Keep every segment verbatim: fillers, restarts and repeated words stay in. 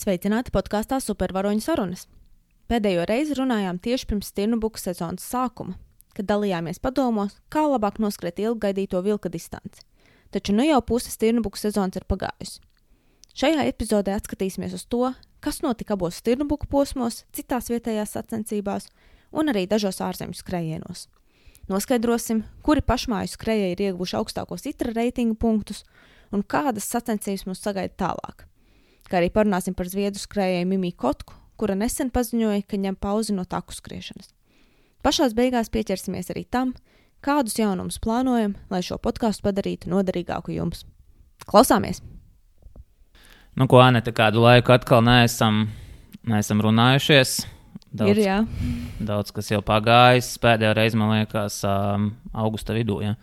Sveicināti podkāstā Supervaroņu sarunas. Pēdējo reizi runājām tieši pirms stirnubuku sezonas sākuma, kad dalījāmies padomos, kā labāk noskriet ilggaidīto vilka distanci. Taču nu jau puse stirnubuku sezonas ir pagājusi. Šajā epizodē atskatīsimies uz to, kas notika abos stirnubuku posmos, citās vietējās sacensībās un arī dažos ārzemju skrējienos. Noskaidrosim, kuri pašmāju skrējēji ir ieguvuši augstākos itra reitingu punktus un kādas sacensības mums sagaida tālāk. Kā arī parunāsim par zviedru skrējēju Mimiju Kotku, kura nesen paziņoja, ka ņem pauzi no taku skriešanas. Pašās beigās pieķersimies arī tam, kādus jaunumus plānojam, lai šo podkāstu padarītu noderīgāku jums. Klausāmies! Nu, ko, Anete, kādu laiku atkal neesam, neesam runājušies. Daudz, ir, jā. Daudz, kas jau pagājis. Pēdējā reize, man liekas, um, augusta vidū, jā.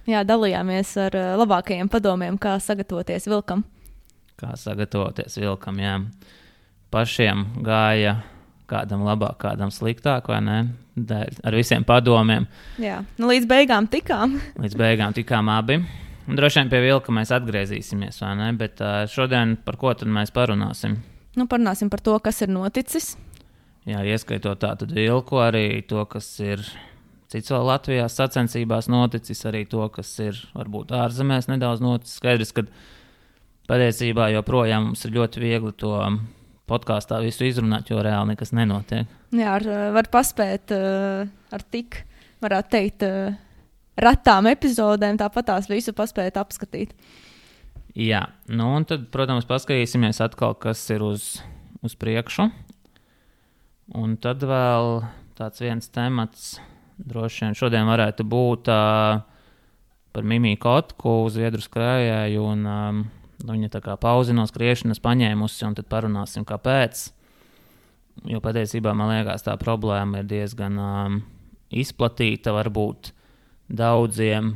Jā, dalījāmies ar uh, labākajiem padomiem, kā sagatavoties vilkam. Kā sagatavoties vilkam, jā. Pašiem gāja kādam labāk, kādam sliktāk, vai ne? Dēļ, ar visiem padomiem. Jā, nu līdz beigām tikām. Līdz beigām tikām abi. Un droši vien pie vilka mēs atgriezīsimies, vai ne? Bet uh, šodien par ko tad mēs parunāsim? Nu, parunāsim par to, kas ir noticis. Jā, ieskaitot tātad vilku, arī to, kas ir cits vēl Latvijā sacensībās noticis, arī to, kas ir varbūt ārzemēs nedaudz noticis. Skaidrs, ka patiesībā joprojām mums ir ļoti viegli to podkāstā visu izrunāt, jo reāli nekas nenotiek. Jā, ar, var paspēt ar tik, varētu teikt, retām epizodēm, tāpat tās visu paspēt apskatīt. Jā, nu un tad, protams, paskatīsimies atkal, kas ir uz, uz priekšu. Un tad vēl tāds viens temats, droši vien šodien varētu būt uh, par Mimiju Kotku, zviedru skrējēju, un um, viņa tā kā pauzi no skriešanas paņēmusi, un tad parunāsim, kāpēc. Jo patiesībā, man liekas, tā problēma ir diezgan um, izplatīta, varbūt daudziem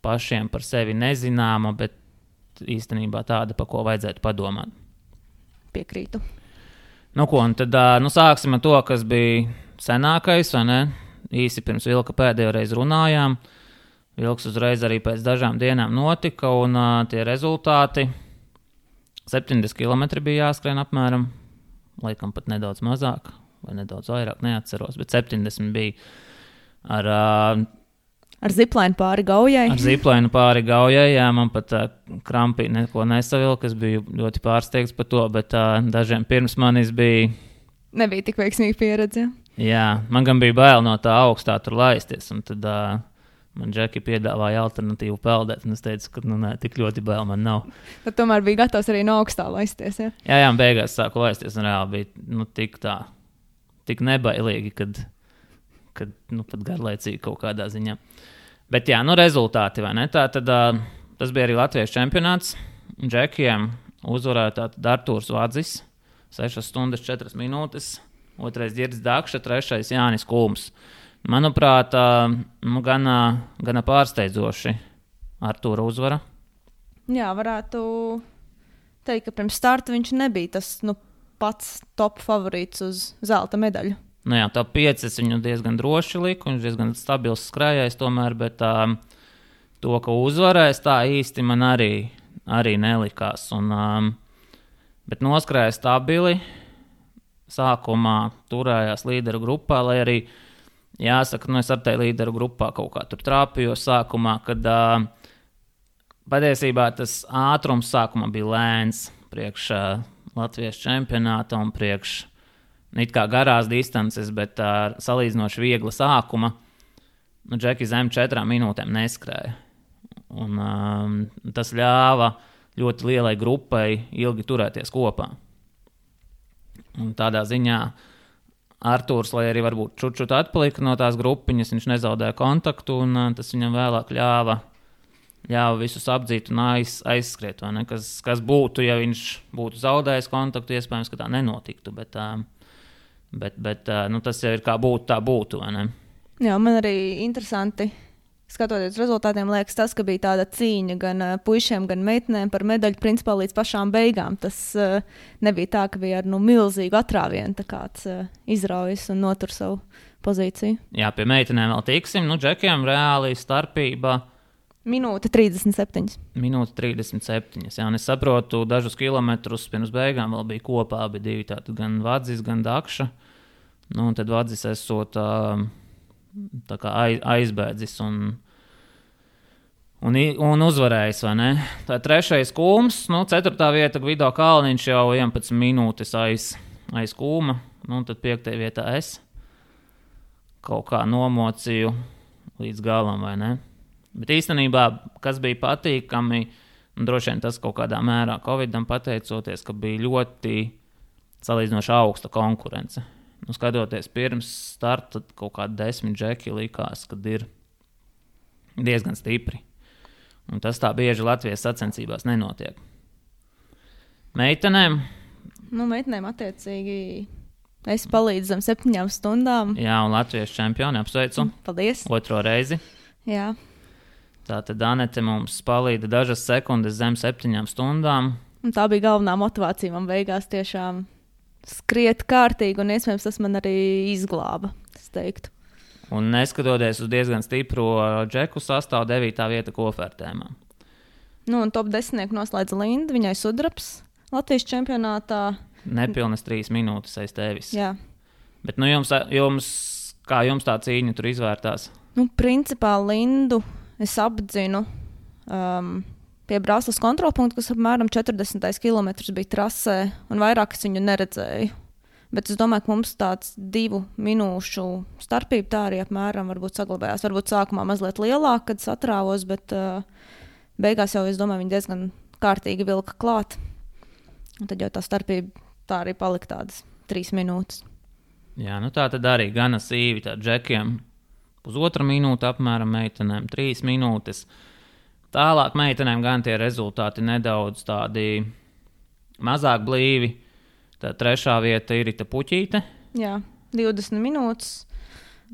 pašiem par sevi nezināma, bet īstenībā tāda, pa ko vajadzētu padomāt. Piekrītu. Nu ko, un tad nu, sāksim ar to, kas bija senākais, vai ne? Īsi pirms vilka pēdējo reizi runājām. Vilks uzreiz arī pēc dažām dienām notika, un uh, tie rezultāti septiņdesmit kilometri bija jāskrien apmēram, laikam pat nedaudz mazāk, vai nedaudz vairāk, neatceros, bet septiņdesmit bija ar... Uh, Ar ziplainu pāri gaujai. Ar ziplainu pāri gaujai, jā, man pat uh, krampī neko nesavilka, es biju ļoti pārsteigts par to, bet uh, dažiem pirms manis bija... Nebija tik veiksmīga pieredze. Jā, man gan bija bail no tā augstā tur laisties, un tad uh, man Džeki piedāvāja alternatīvu peldēt, un es teicu, ka nu nē, tik ļoti bail man nav. Tad tomēr bija gatavs arī no augstā laisties, jā? Jā, jā, beigās sāku laisties, un reāli bija nu, tik tā, tik nebailīgi, kad... kad nu, pat garlaicīgi kaut kādā ziņā. Bet jā, nu rezultāti, vai ne? Tā tad uh, tas bija arī Latvijas čempionāts. Džekiem uzvarēja tātad Artūrs Vadzis, sešas stundas četras minūtes, otrais Ģirds Dakša, trešais Jānis Kulms. Manuprāt, uh, nu, gana, gana pārsteidzoši Artūra uzvara. Jā, varētu teikt, ka pirms starta viņš nebija tas nu, pats top favorīts uz zelta medaļu. Nu jā, top pieci viņu diezgan droši liku, viņš diezgan stabils skrējais tomēr, bet um, to, ka uzvarēs, tā īsti man arī, arī nelikās. Un, um, bet noskrēja stabili, sākumā turējās līderu grupā, lai arī, jāsaka, nu es ar te līderu grupā kaut kā tur trāpījos sākumā, kad uh, patiesībā tas ātrums sākumā bija lēns priekš uh, Latvijas čempionāta un priekš it kā garās distances, bet uh, salīdzinoši viegla sākuma. Nu, Džeki zem četrām minūtēm neskrēja. Un um, tas ļāva ļoti lielai grupai ilgi turēties kopā. Un tādā ziņā Artūrs, lai arī varbūt čut-čut atpalika no tās grupiņas, viņš nezaudēja kontaktu, un uh, tas viņam vēlāk ļāva, ļāva visus apdzīt un aiz, aizskriet. Vai ne? Kas, kas būtu, ja viņš būtu zaudējis kontaktu, iespējams, ka tā nenotiktu, bet... Uh, Bet, bet nu, tas jau ir kā būtu, tā būtu, vai ne? Jā, man arī interesanti, skatoties rezultātiem, liekas tas, ka bija tāda cīņa gan puišiem, gan meitenēm par medaļu principā līdz pašām beigām. Tas uh, nebija tā, ka bija ar nu, milzīgu atrāvienu tā kāds uh, izraujas un notur savu pozīciju. Jā, pie meitenēm vēl tiksim. Nu, Džekiem reāli starpība Minūte trīsdesmit septiņi. Minūte trīsdesmit septiņi. Jā, un es saprotu, dažus kilometrus pirms beigām vēl bija kopā abi divi. Tātad gan Vadzis, gan Dakša. Nu, un tad Vadzis esot tā, tā kā aizbēdzis un, un, un uzvarējis, vai ne? Tā trešais Kūms, nu, ceturtā vieta Gvido Kalniņš jau vienpadsmit minūtes aiz, aiz Kūma. Nu, un tad piektajā vietā es kaut kā nomocīju līdz galam, vai ne? Bet īstenībā, kas bija patīkami, un droši vien tas kaut kādā mērā Covidam pateicoties, ka bija ļoti salīdzinoši augsta konkurence. Nu, skatoties pirms starta, kaut kādi desmit džeki likās, kad ir diezgan stipri. Un tas tā bieži Latvijas sacensībās nenotiek. Meitenēm? Nu, meitenēm attiecīgi es palīdzu zem septiņām stundām. Jā, un Latvijas čempioni apsveicu. Paldies. Otro reizi. Jā. Tātad Anete mums palīdza dažas sekundes zem septiņām stundām. Un tā bija galvenā motivācija man beigās tiešām skriet kārtīgi, un iespējams tas man arī izglāba, es teiktu. Un neskatoties uz diezgan stipro džeku sastāvu, devītā vieta kofertēmā. Nu, un top desmitnieku noslēdza Linda, viņai sudrabs Latvijas čempionātā. Nepilnas trīs minūtes aiz tevis. Jā. Bet nu jums, jums, kā jums tā cīņa tur izvērtās? Nu, principā Lindu es apdzinu um, pie Brāzlas kontrolpunkta, kas apmēram četrdesmit kilometrus bija trasē, un vairāk es viņu neredzēju. Bet es domāju, ka mums tāds divu minūšu starpība tā arī apmēram varbūt saglabājās. Varbūt sākumā mazliet lielāk, kad satrāvos, bet uh, beigās jau, es domāju, viņi diezgan kārtīgi vilka klāt. Un tad jau tā starpība tā arī palika tādas trīs minūtes. Jā, nu tā tad arī gana sīvi tā džekiem. Pusotra minūte apmēram meitenēm, trīs minūtes. Tālāk meitenēm gan tie rezultāti nedaudz tādi mazāk blīvi. Tā trešā vieta ir Irita Puķīte. Jā, divdesmit minūtes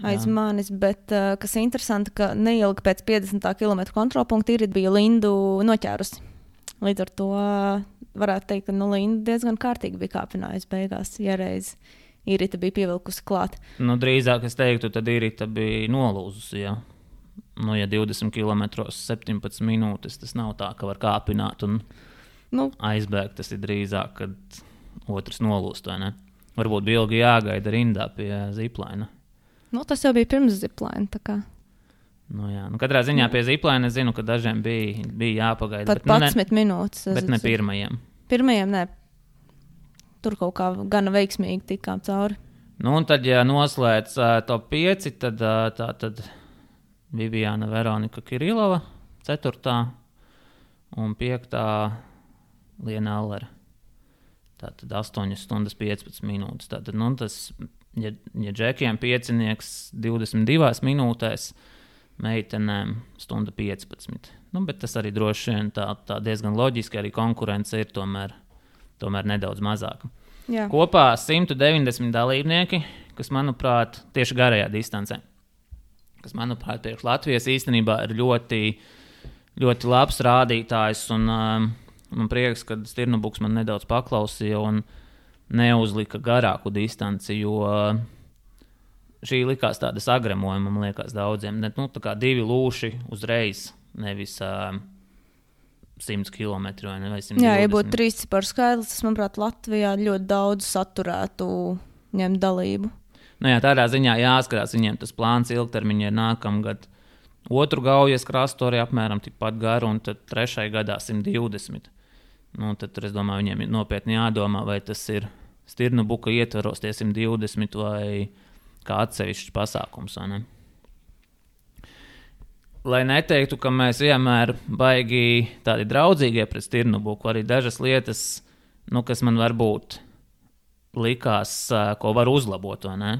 aiz Jā. manis, bet uh, kas interesanti, ka neilgi pēc piecdesmit kilometru kontrolpunkta Irita bija Lindu noķērusi. Līdz ar to uh, varētu teikt, ka nu, Linda diezgan kārtīgi bija kāpinājusi beigās, ja reiz Irita bija pievilkusi klāt. Nu, drīzāk es teiktu, tad Irita bija nolūzusi, jā. Nu, ja divdesmit kilometros septiņpadsmit minūtes, tas nav tā, ka var kāpināt un nu. aizbēgt. Tas ir drīzāk, kad otrs nolūst, vai ne? Varbūt bija ilgi jāgaida rindā pie ziplaina. Nu, tas jau bija pirms ziplaina, tā kā. Nu, jā. Nu, katrā ziņā pie ziplaina es zinu, ka dažiem bija, bija jāpagaida. Par padsmit nu, minūtes. Bet ne pirmajiem. Pirmajiem, ne. Tur kaut kā gana veiksmīgi tikām cauri. Nu, un tad, ja noslēdz uh, top pieci, tad uh, tā tad Viviana Veronika Kirilova, ceturtā, un piektā Liena Allera. Tātad astoņas stundas piecpadsmit minūtes. Tātad, nu, tas, ja, ja džekiem piecinieks divdesmit divās minūtēs, meitenēm stunda piecpadsmit. Nu, bet tas arī droši vien tā, tā diezgan loģiski, arī konkurence ir tomēr, tomēr nedaudz mazāka. Jā. Kopā simt deviņdesmit dalībnieki, kas, manuprāt, tieši garajā distancē, kas, manuprāt, priekš Latvijas īstenībā ir ļoti, ļoti labs rādītājs, un um, man prieks, ka Stirnobuks man nedaudz paklausīja un neuzlika garāku distanci, jo uh, šī likās tāda sagremojuma, man liekas, daudziem. Ne, nu, tā kā divi lūši uzreiz, nevis uh, simts kilometri vai, ne, vai simt divdesmit. Jā, ja būtu trīs ciparu skaidrs, tas, manuprāt, Latvijā ļoti daudz saturētu ņemt dalību. Nu jā, tādā ziņā jāskatās, viņiem tas plāns ilgtermiņā ir nākamgad otru gaujas krastu arī apmēram tikpat garu, un tad trešai gadā simt divdesmit. Nu, tad tur, es domāju, viņiem ir nopietni jādomā, vai tas ir Stirnobuka ietvaros tie simt divdesmit vai kā atsevišķs pasākums, vai ne? Lai neteiktu, ka mēs vienmēr baigi tādi draudzīgie pret Stirnobuku, arī dažas lietas, nu, kas man varbūt likās, ko var uzlabot, vai ne?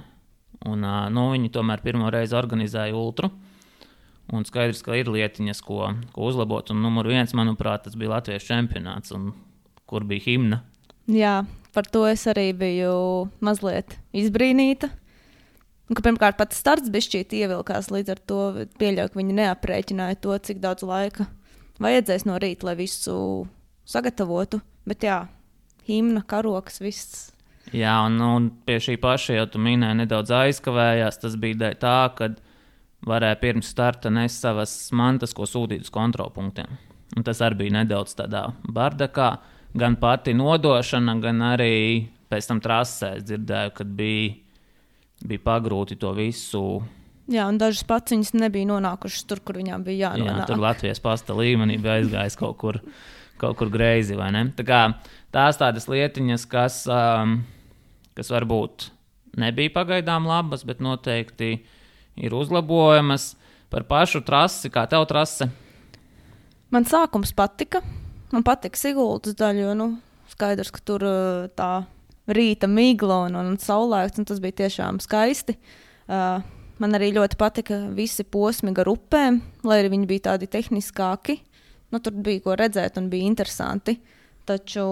Un, nu, viņi tomēr pirmo reizi organizēja ultru, un skaidrs, ka ir lietiņas, ko, ko uzlabot, un numur viens, manuprāt, tas bija Latvijas čempionāts, un kur bija himna. Jā, par to es arī biju mazliet izbrīnīta. Un, ka, pirmkārt, pats starts bišķīt ievilkās, līdz ar to pieļauju, ka viņi neaprēķināja to, cik daudz laika vajadzēs no rīta, lai visu sagatavotu. Bet jā, himna, karoks, viss. Jā, un, un pie šī paša jau tu minēji nedaudz aizkavējās. Tas bija tā, ka varēja pirms starta nest savas mantas, ko sūtīt uz kontrolpunktiem. Un tas arī bija nedaudz tādā bardakā. Gan pati nodošana, gan arī pēc tam trasē es dzirdēju, kad bija, bija pagrūti to visu. Jā, un dažas paciņas nebija nonākušas tur, kur viņām bija jānonāk. Jā, tur Latvijas pasta līmenī bija aizgājis kaut kur, kaut kur greizi, vai ne? Tā kā tās tādas lietiņas, kas, um, kas varbūt nebija pagaidām labas, bet noteikti ir uzlabojamas. Par pašu trasi, kā tev trase? Man sākums patika. Man patika Siguldas daļa, jo nu, skaidrs, ka tur tā rīta migla un, un saulēkts, un tas bija tiešām skaisti. Uh, man arī ļoti patika visi posmi gar upēm, lai arī viņi bija tādi tehniskāki. Nu, tur bija ko redzēt un bija interesanti. Taču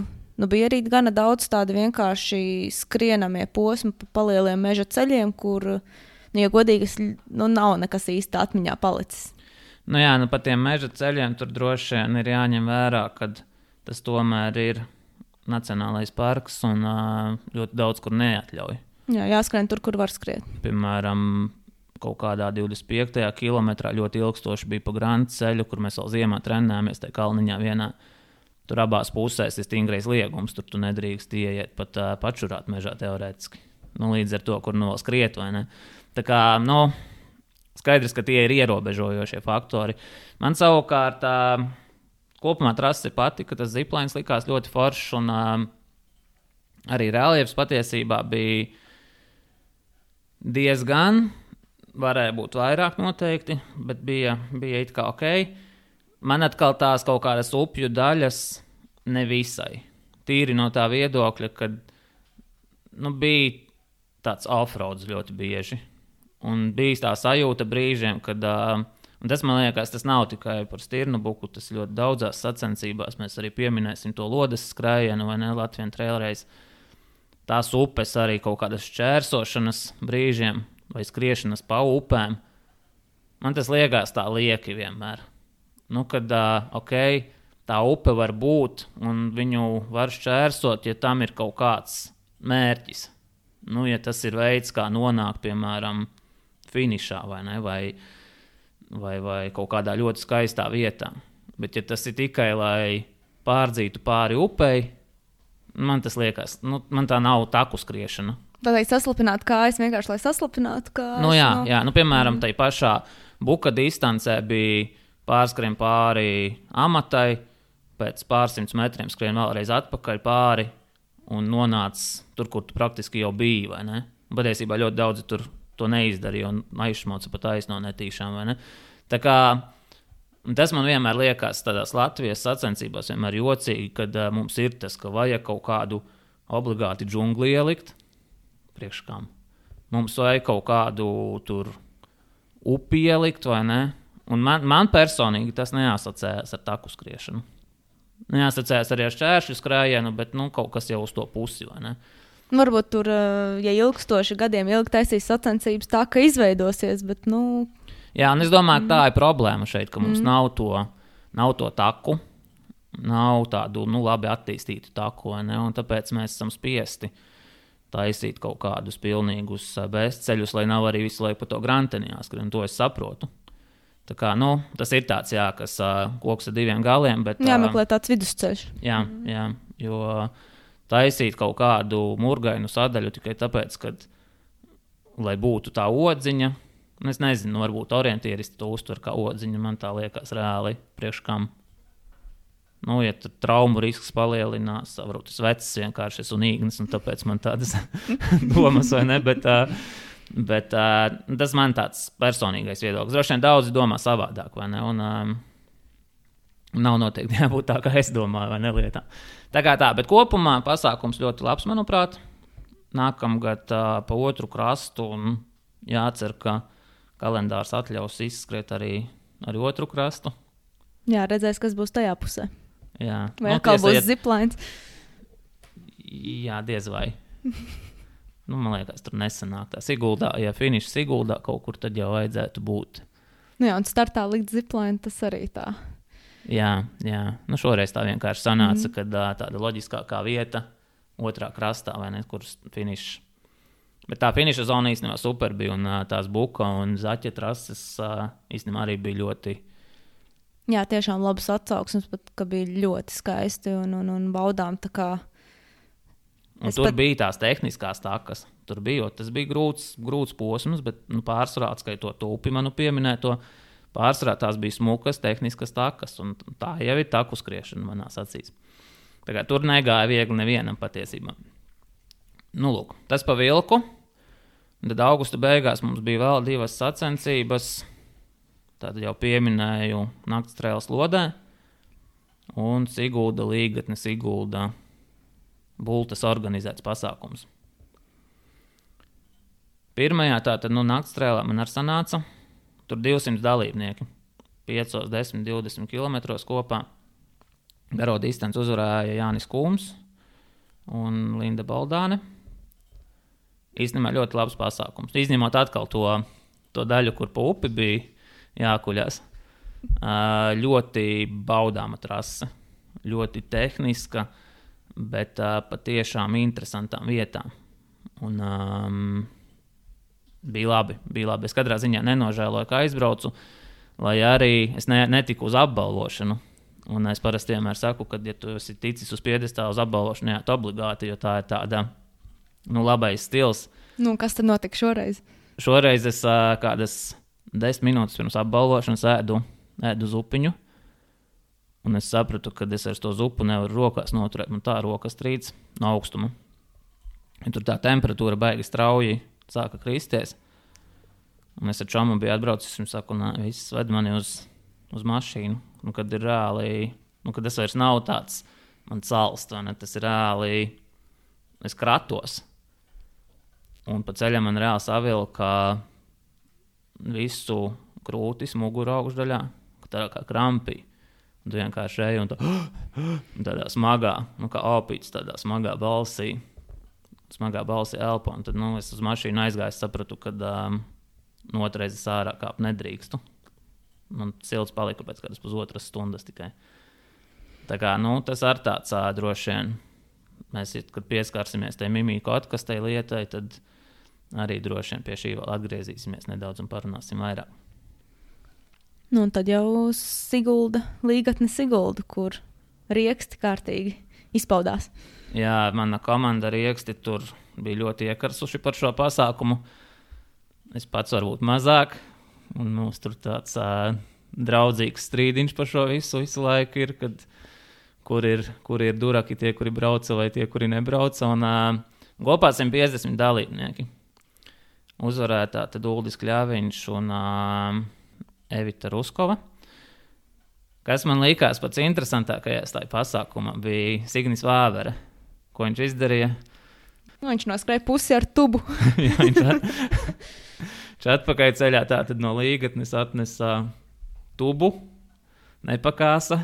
nu, bija arī gana daudz tādi vienkārši skrienamie posmi pa palieliem meža ceļiem, kur, nu, ja godīgi, nu, nav nekas īsti atmiņā palicis. Nu jā, nu pat tiem meža ceļiem tur droši vien ir jāņem vērā, ka tas tomēr ir nacionālais parks un ļoti daudz kur neatļauj. Jā, jāskrien tur, kur var skriet. Piemēram, kaut kādā divdesmit piektajā kilometrā ļoti ilgstoši bija pa Grandu ceļu, kur mēs vēl ziemā trenējāmies tajā kalniņā vienā. Tur abās pusēs ir stingrais liegums, tur tu nedrīkst ieiet pat uh, pačurāt mežā teorētiski. Nu, līdz ar to, kur nu vēl skriet, vai ne? Tā kā, nu... Skaidrs, ka tie ir ierobežojošie faktori. Man savukārt uh, kopumā trase patika, tas ziplines likās ļoti foršs un uh, arī reliefs patiesībā bija diezgan, varēja būt vairāk noteikti, bet bija, bija it kā ok. Man atkal tās kaut kādas upju daļas nevisai. Tīri no tā viedokļa, kad nu, bija tāds offroads ļoti bieži. Un bija tā sajūta brīžiem, kad, uh, un tas man liekas, tas nav tikai par Stirnubuku, tas ļoti daudzās sacensībās, mēs arī pieminēsim to lodes skrējienu vai ne, Latvian Trail Race. Tās upes arī kaut kādas šķērsošanas brīžiem vai skriešanas pa upēm. Man tas liekas tā lieki vienmēr. Nu, kad, uh, ok, tā upe var būt un viņu var šķērsot, ja tam ir kaut kāds mērķis. Nu, ja tas ir veids, kā nonākt, piemēram, finišā vai, ne, vai, vai, vai kaut kādā ļoti skaistā vietā. Bet ja tas ir tikai, lai pārdzītu pāri upei, man tas liekas, nu, man tā nav taku skriešana. Tādēļ saslapināt kājas vienkārši, lai saslapinātu kājas. Nu jā, no... jā, nu piemēram, mm. tai pašā buka distancē bija pārskrien pāri amatai, pēc pārsimts metriem skrien vēlreiz atpakaļ pāri un nonāc tur, kur tu praktiski jau biji, vai ne? Patiesībā ļoti daudzi tur to neizdarīja un aizšmoca pat aizno netīšām, vai ne? Tā kā tas man vienmēr liekas tādās Latvijas sacensībās vienmēr jocīgi, kad uh, mums ir tas, ka vajag kaut kādu obligāti džungli ielikt priekškām. Mums vajag kaut kādu tur upi ielikt, vai ne? Un man, man personīgi tas neasociējas ar taku skriešanu. Neasociējas arī ar šķēršļu skrējienu, bet nu, kaut kas jau uz to pusi, vai ne? Varbūt tur, ja ilgstoši gadiem ilgi taisīs sacensības, tā ka izveidosies, bet, nu... Jā, un es domāju, ka tā ir problēma šeit, ka mums mm. nav, to, nav to taku, nav tādu, nu, labi attīstītu taku, vai ne? Un tāpēc mēs esam spiesti taisīt kaut kādus pilnīgus bezceļus, lai nav arī visu laiku pa to granteni jāskrien, un to es saprotu. Tā kā, nu, tas ir tāds, jā, kas uh, koks ar diviem galiem, bet... Jāmeklē tāds vidusceļš. Jā, jā, jo... taisīt kaut kādu murgainu sadaļu tikai tāpēc, ka, lai būtu tā odziņa, es nezinu, varbūt orientieristi to uztver kā odziņa, man tā liekas reāli priekškam. Nu, ja tur traumu risks palielinās, varbūt es vecs vienkārši esmu un īgnis, un tāpēc man tādas domas, vai ne, bet, bet tas man tāds personīgais viedoklis. Droši vien daudzi domā savādāk, vai ne, un nav noteikti jābūt tā, kā es domāju, vai ne lietā. Tā kā tā, bet kopumā pasākums ļoti labs, manuprāt. Nākamgad uh, pa otru krastu un jācer, ka kalendārs atļaus izskriet arī, arī otru krastu. Jā, redzēs, kas būs tajā pusē. Jā. Vai atkal būs iet... ziplines? Jā, diez vai. Nu, man liekas, tur nesanāk tā Siguldā. Ja finišs Siguldā kaut kur, tad jau vajadzētu būt. Nu jā, un startā likt zipline, tas arī tā. Jā, jā. Nu, šoreiz tā vienkārši sanāca, mm. kad tāda loģiskākā vieta otrā krastā, vai ne, kur finišs Bet tā finiša zona īstenībā super bija, un uh, tās buka un zaķa trases uh, īstenībā arī bija ļoti... Jā, tiešām labas atsauksmes, pat, ka bija ļoti skaisti un, un, un baudām tā kā... Un es tur pat... bija tās tehniskās takas. Tur bija, jo tas bija grūts, grūts posms, bet nu, pārsvarā atskaitot to upi manu pieminēto, pārsvarā tās bija smukas, tehniskas takas, un tā jau ir taku skriešana manās acīs. Tā kā tur negāja viegli nevienam patiesībā. Nu, lūk, tas pa vilku. Tad augusta beigās mums bija vēl divas sacensības. Tad jau pieminēju nakts trēles Lodē un Sigulda līgatne Sigulda Bultas organizēts pasākums. Pirmajā tātad nu, nakts trēlē man ar sanāca. Tur divsimt dalībnieki. pieci, desmit, divdesmit kilometros kopā. Garo distanci uzvarēja Jānis Kūms un Linda Baldāne. Īstenībā ļoti labs pasākums. Izņemot atkal to, to daļu, kur pa upi bija jākuļās. Ļoti baudāma trase. Ļoti tehniska, bet patiešām interesantām vietām. Un um, bija labi, bija labi. Es katrā ziņā nenožēloju, ka aizbraucu, lai arī es ne, netiku uz apbalvošanu. Un es parasti vienmēr saku, ka, ja tu esi ticis uz piedestālu uz apbalvošanu, jā, obligāti, jo tā ir tāda, nu, labais stils. Nu, kas tad notika šoreiz? Šoreiz es uh, kādas desmit minūtes pirms apbalvošanas ēdu, ēdu zupiņu. Un es sapratu, ka es ar to zupu nevaru rokās noturēt. Man tā rokas trīc no augstuma. Un tur tā temperatūra baigi strauji sāka kristies. Un es ar čomu biju atbraucis un saku, nā, viss ved mani uz, uz mašīnu. Nu, kad ir reāli, nu, kad es vairs nav tāds, man salst, vai ne, tas ir reāli, es kratos. Un pa ceļam man reāli savilka visu krūtis muguru augšdaļā, tā kā krampī. Un tu vienkārši ej un tā, tādā smagā, nu kā opīts, tādā smagā balsī, smagā balsī elpo. Un tad, nu, es uz mašīnu aizgāju, sapratu, ka um, nu, otrais ārā kāp nedrīkstu. Man silts palika pēc kādas pusotras stundas tikai. Tā kā, nu, tas ar tāds ā, droši vien. Mēs, kad pieskarsimies tai mimīku atkastai lietai, tad arī droši vien pie šī vēl atgriezīsimies nedaudz un parunāsim vairāk. Nu, un tad jau Sigulda, līgatne Sigulda, kur rieksti kārtīgi izpaudās. Jā, mana komanda rieksti tur bija ļoti iekarsuši par šo pasākumu. Es pats varbūt mazāk, un mums tur tāds uh, draudzīgs strīdiņš par šo visu, visu laiku ir, kad, kur ir, kur ir duraki tie, kuri brauca vai tie, kuri nebrauca. Un uh, kopā simt piecdesmit dalībnieki. Uzvarētā tad Uldis Kļaviņš un... Uh, Evita Ruskova. Kas man likās pats interesantākajās tajā pasākumā bija Signis Vāvere. Ko viņš izdarīja? Nu, viņš noskrēja pusi ar tubu. Jā, viņš at... atpakaļ ceļā tātad no līgatnes atnesa tubu, nepakāsa.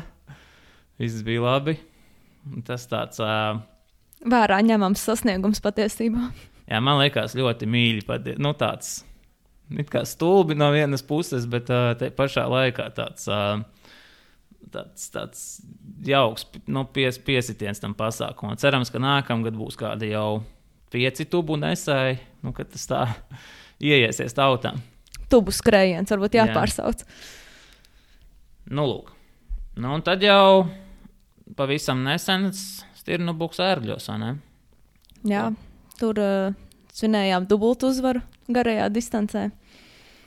Viss bija labi. Tas tāds... Uh... Vērā ņemams sasniegums patiesībā. Jā, man likās ļoti mīļi. Pati... Nu, tāds... It kā stulbi no vienas puses, bet uh, te pašā laikā tāds, uh, tāds, tāds jauks nu, pies, piesitiens tam pasākumam. Cerams, ka nākamgad būs kādi jau pieci tubu nesēji, nu, kad tas tā ieiesies tautā. Tubu skrējiens, varbūt jāpārsauc. Jā. Nu, lūk. Nu, un tad jau pavisam nesens Stirnu buks ērgļos, vai ne? Jā, tur uh, svinējām dubultu uzvaru garajā distancē.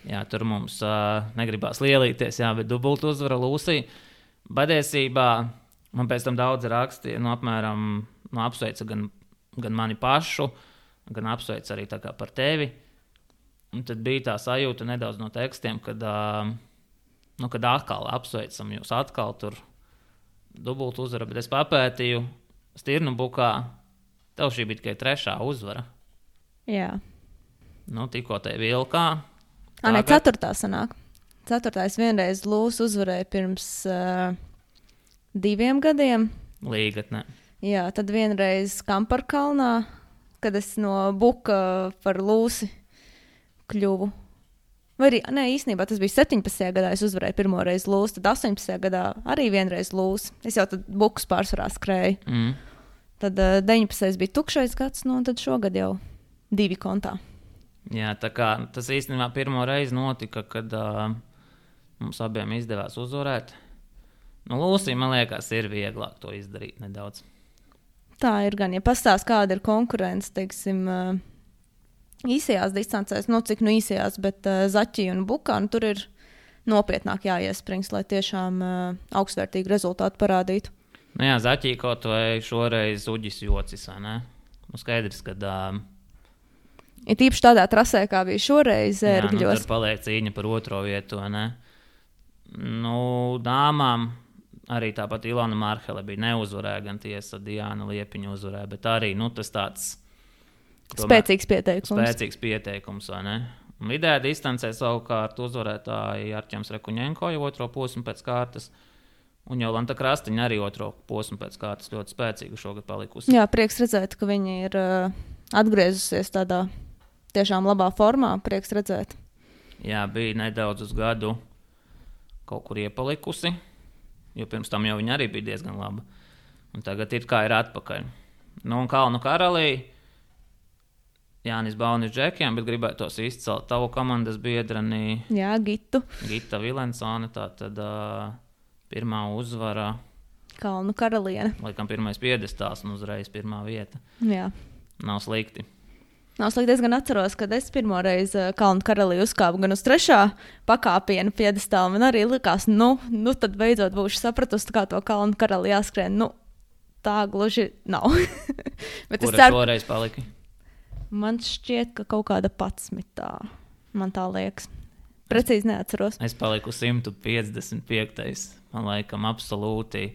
Jā, tur mums uh, negribās lielīties, jā, bet dubultu uzvara Lūsija. Patiesībā man pēc tam daudz rakstīja, nu, apmēram, nu, apsveica gan, gan mani pašu, gan apsveica arī tā kā par tevi. Un tad bija tā sajūta nedaudz no tekstiem, kad, uh, nu, kad atkal apsveicam jūs atkal tur dubultu uzvara, bet es papētīju Stirnu bukā, tev šī bija tikai trešā uzvara. Jā. Nu, tikko te vilkā. Ā, ne, ceturtā sanāk. Ceturtais vienreiz Lūs uzvarēja pirms uh, diviem gadiem. Līgatnē. Jā, tad vienreiz Kamparkalnā, kad es no buka par Lūsi kļuvu. Vai arī, ne, īstenībā tas bija septiņpadsmitajā gadā, es uzvarēju pirmo reizi Lūs, tad astoņpadsmitajā gadā arī vienreiz Lūs. Es jau tad bukus pārsvarā skrēju. Mm. Tad uh, deviņpadsmitais bija tukšais gads, nu, un tad šogad jau divi kontā. Jā, tā kā tas īstenībā pirmo reizi notika, kad uh, mums abiem izdevās uzvarēt. Nu, Lūsija, man liekas, ir vieglāk to izdarīt nedaudz. Tā ir gan, ja pastāst, kāda ir konkurence, teiksim, uh, īsajās distancēs, nu cik nu īsajās, bet uh, Zaķī un Bukā, nu tur ir nopietnāk jāiesprings, lai tiešām uh, augstvērtīgu rezultātu parādītu. Nu jā, Zaķī kaut vai šoreiz uģis jocis, vai ne? Nu skaidrs, kad... Uh, Ir tīpaši tādā trasē, kā bija šoreiz Ērgļos. Jā, nu tur paliek cīņa par otro vietu, vai ne? Nu, dāmām arī tāpat Ilona Marhele bija neuzvarēja, gan tiesa Diana Liepiņa uzvarēja, bet arī, nu, tas tāds... Tomēr, spēcīgs pieteikums. Spēcīgs pieteikums, vai ne? Un vidējā distancē savukārt uzvarētāji Arķems Rekuņenko jau otro posmu pēc kārtas, un Jolanta Krastiņa arī otro posmu pēc kārtas ļoti spēcīgu šogad palikusi. Jā, prieks redzēt, ka viņi ir uh, atgriezusies tādā tiešām labā formā, prieks redzēt. Jā, bija nedaudz uz gadu kaut kur iepalikusi, jo pirms tam jau viņa arī bija diezgan laba. Un tagad ir kā ir atpakaļ. Nu, un Kalnu karalī Jānis Baunis džekiem, bet gribētos izcelt tavu komandas biedreni. Jā, Gitu. Gita Vilensone, tā tad uh, pirmā uzvara. Kalnu karaliene. Laikam pirmais piedestāls un uzreiz pirmā vieta. Jā. Nav slikti. Nav slikti, es gan atceros, kad es pirmo reizi Kalnu karalī uzkāpu gan uz trešā pakāpiena piedestāla. Man arī likās, nu, nu tad beidzot būšu sapratusi, kā to Kalnu karali jāskrien. Nu, tā gluži nav. Bet Kura es ceru... šoreiz paliki? Man šķiet, ka kaut kāda patsmitā. Man tā liekas. Precīzi neatceros. Es paliku simt piecdesmit piektais. Man laikam absolūti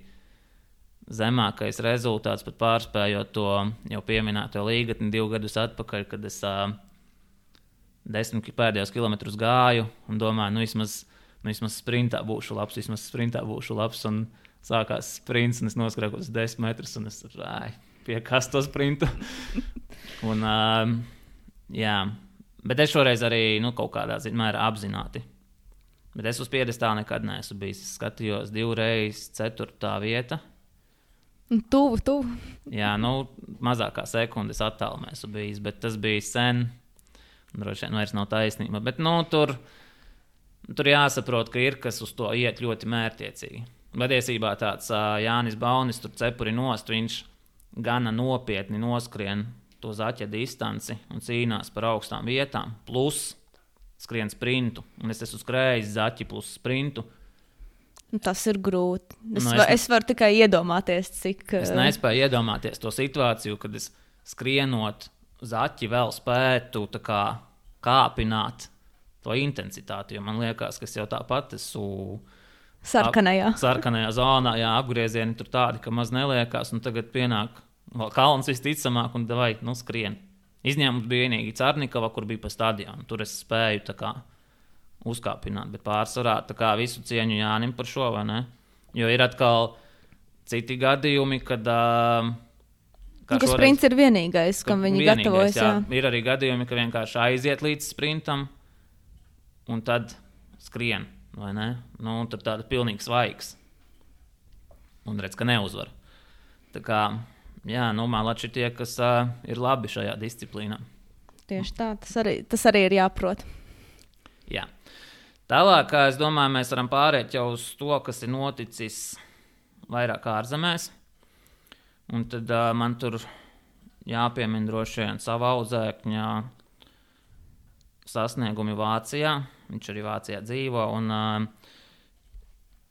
zemākais rezultāts, pat pārspējot to jau pieminēto līgatni divu gadus atpakaļ, kad es uh, desmit pēdējos kilometrus gāju un domāju, nu vismaz, nu vismaz sprintā būšu labs, vismaz sprintā būšu labs, un sākās sprints, un es noskrēju uz desmit metrus, un es ai, piekastu to sprintu. Un, uh, jā, bet es šoreiz arī nu, kaut kādā mērā apzināti. Bet es uz piedestāla nekad neesmu bijis. Es skatījos divreiz ceturtā vieta. Tuvu, tuvu. Jā, nu, mazākā sekundes attālumā esmu bijis, bet tas bija sen. Droši vien vairs nav taisnība. Bet nu, tur, tur jāsaprot, ka ir kas uz to iet ļoti mērķiecīgi. Patiesībā tāds uh, Jānis Baunis tur cepuri nost, viņš gana nopietni noskrien to zaķa distanci un cīnās par augstām vietām, plus skrien sprintu. Un es esmu skrējis zaķi plus sprintu. Tas ir grūti. Es, nu, es, var, ne... es varu tikai iedomāties, cik... Es nespēju iedomāties to situāciju, kad es skrienot zaķi vēl spētu tā kā kāpināt to intensitāti, jo man liekas, ka es jau tāpat esmu... Sarkanajā. Ap, sarkanajā zonā, jā, apgriezieni tur tādi, ka maz neliekās, un tagad pienāk vēl kalns visticamāk, un davai, nu, skrien. Izņēmums bija vienīgi Carnikava, kur bija pa stadionu. Tur es spēju tā kā uzkāpināt, bet pārsvarā tā kā visu cieņu Jānim par šo, vai ne? Jo ir atkal citi gadījumi, kad... Uh, ka šoreiz, sprints ir vienīgais, kam viņi vienīgais, gatavojas. Jā. Jā. Ir arī gadījumi, ka vienkārši aiziet līdz sprintam, un tad skrien, vai ne? Nu, tad tāda pilnīgi svaigs. Un redz, ka neuzvar. Tā kā... Jā, nu, malači tie, kas uh, ir labi šajā disciplīnā. Tieši tā, tas arī, tas arī ir jāprot. Jā. Tālāk, es domāju, mēs varam pārēt jau uz to, kas ir noticis vairāk ārzemēs. Un tad uh, man tur jāpiemina droši vien sava audzēkņa sasniegumi Vācijā. Viņš arī Vācijā dzīvo, un uh,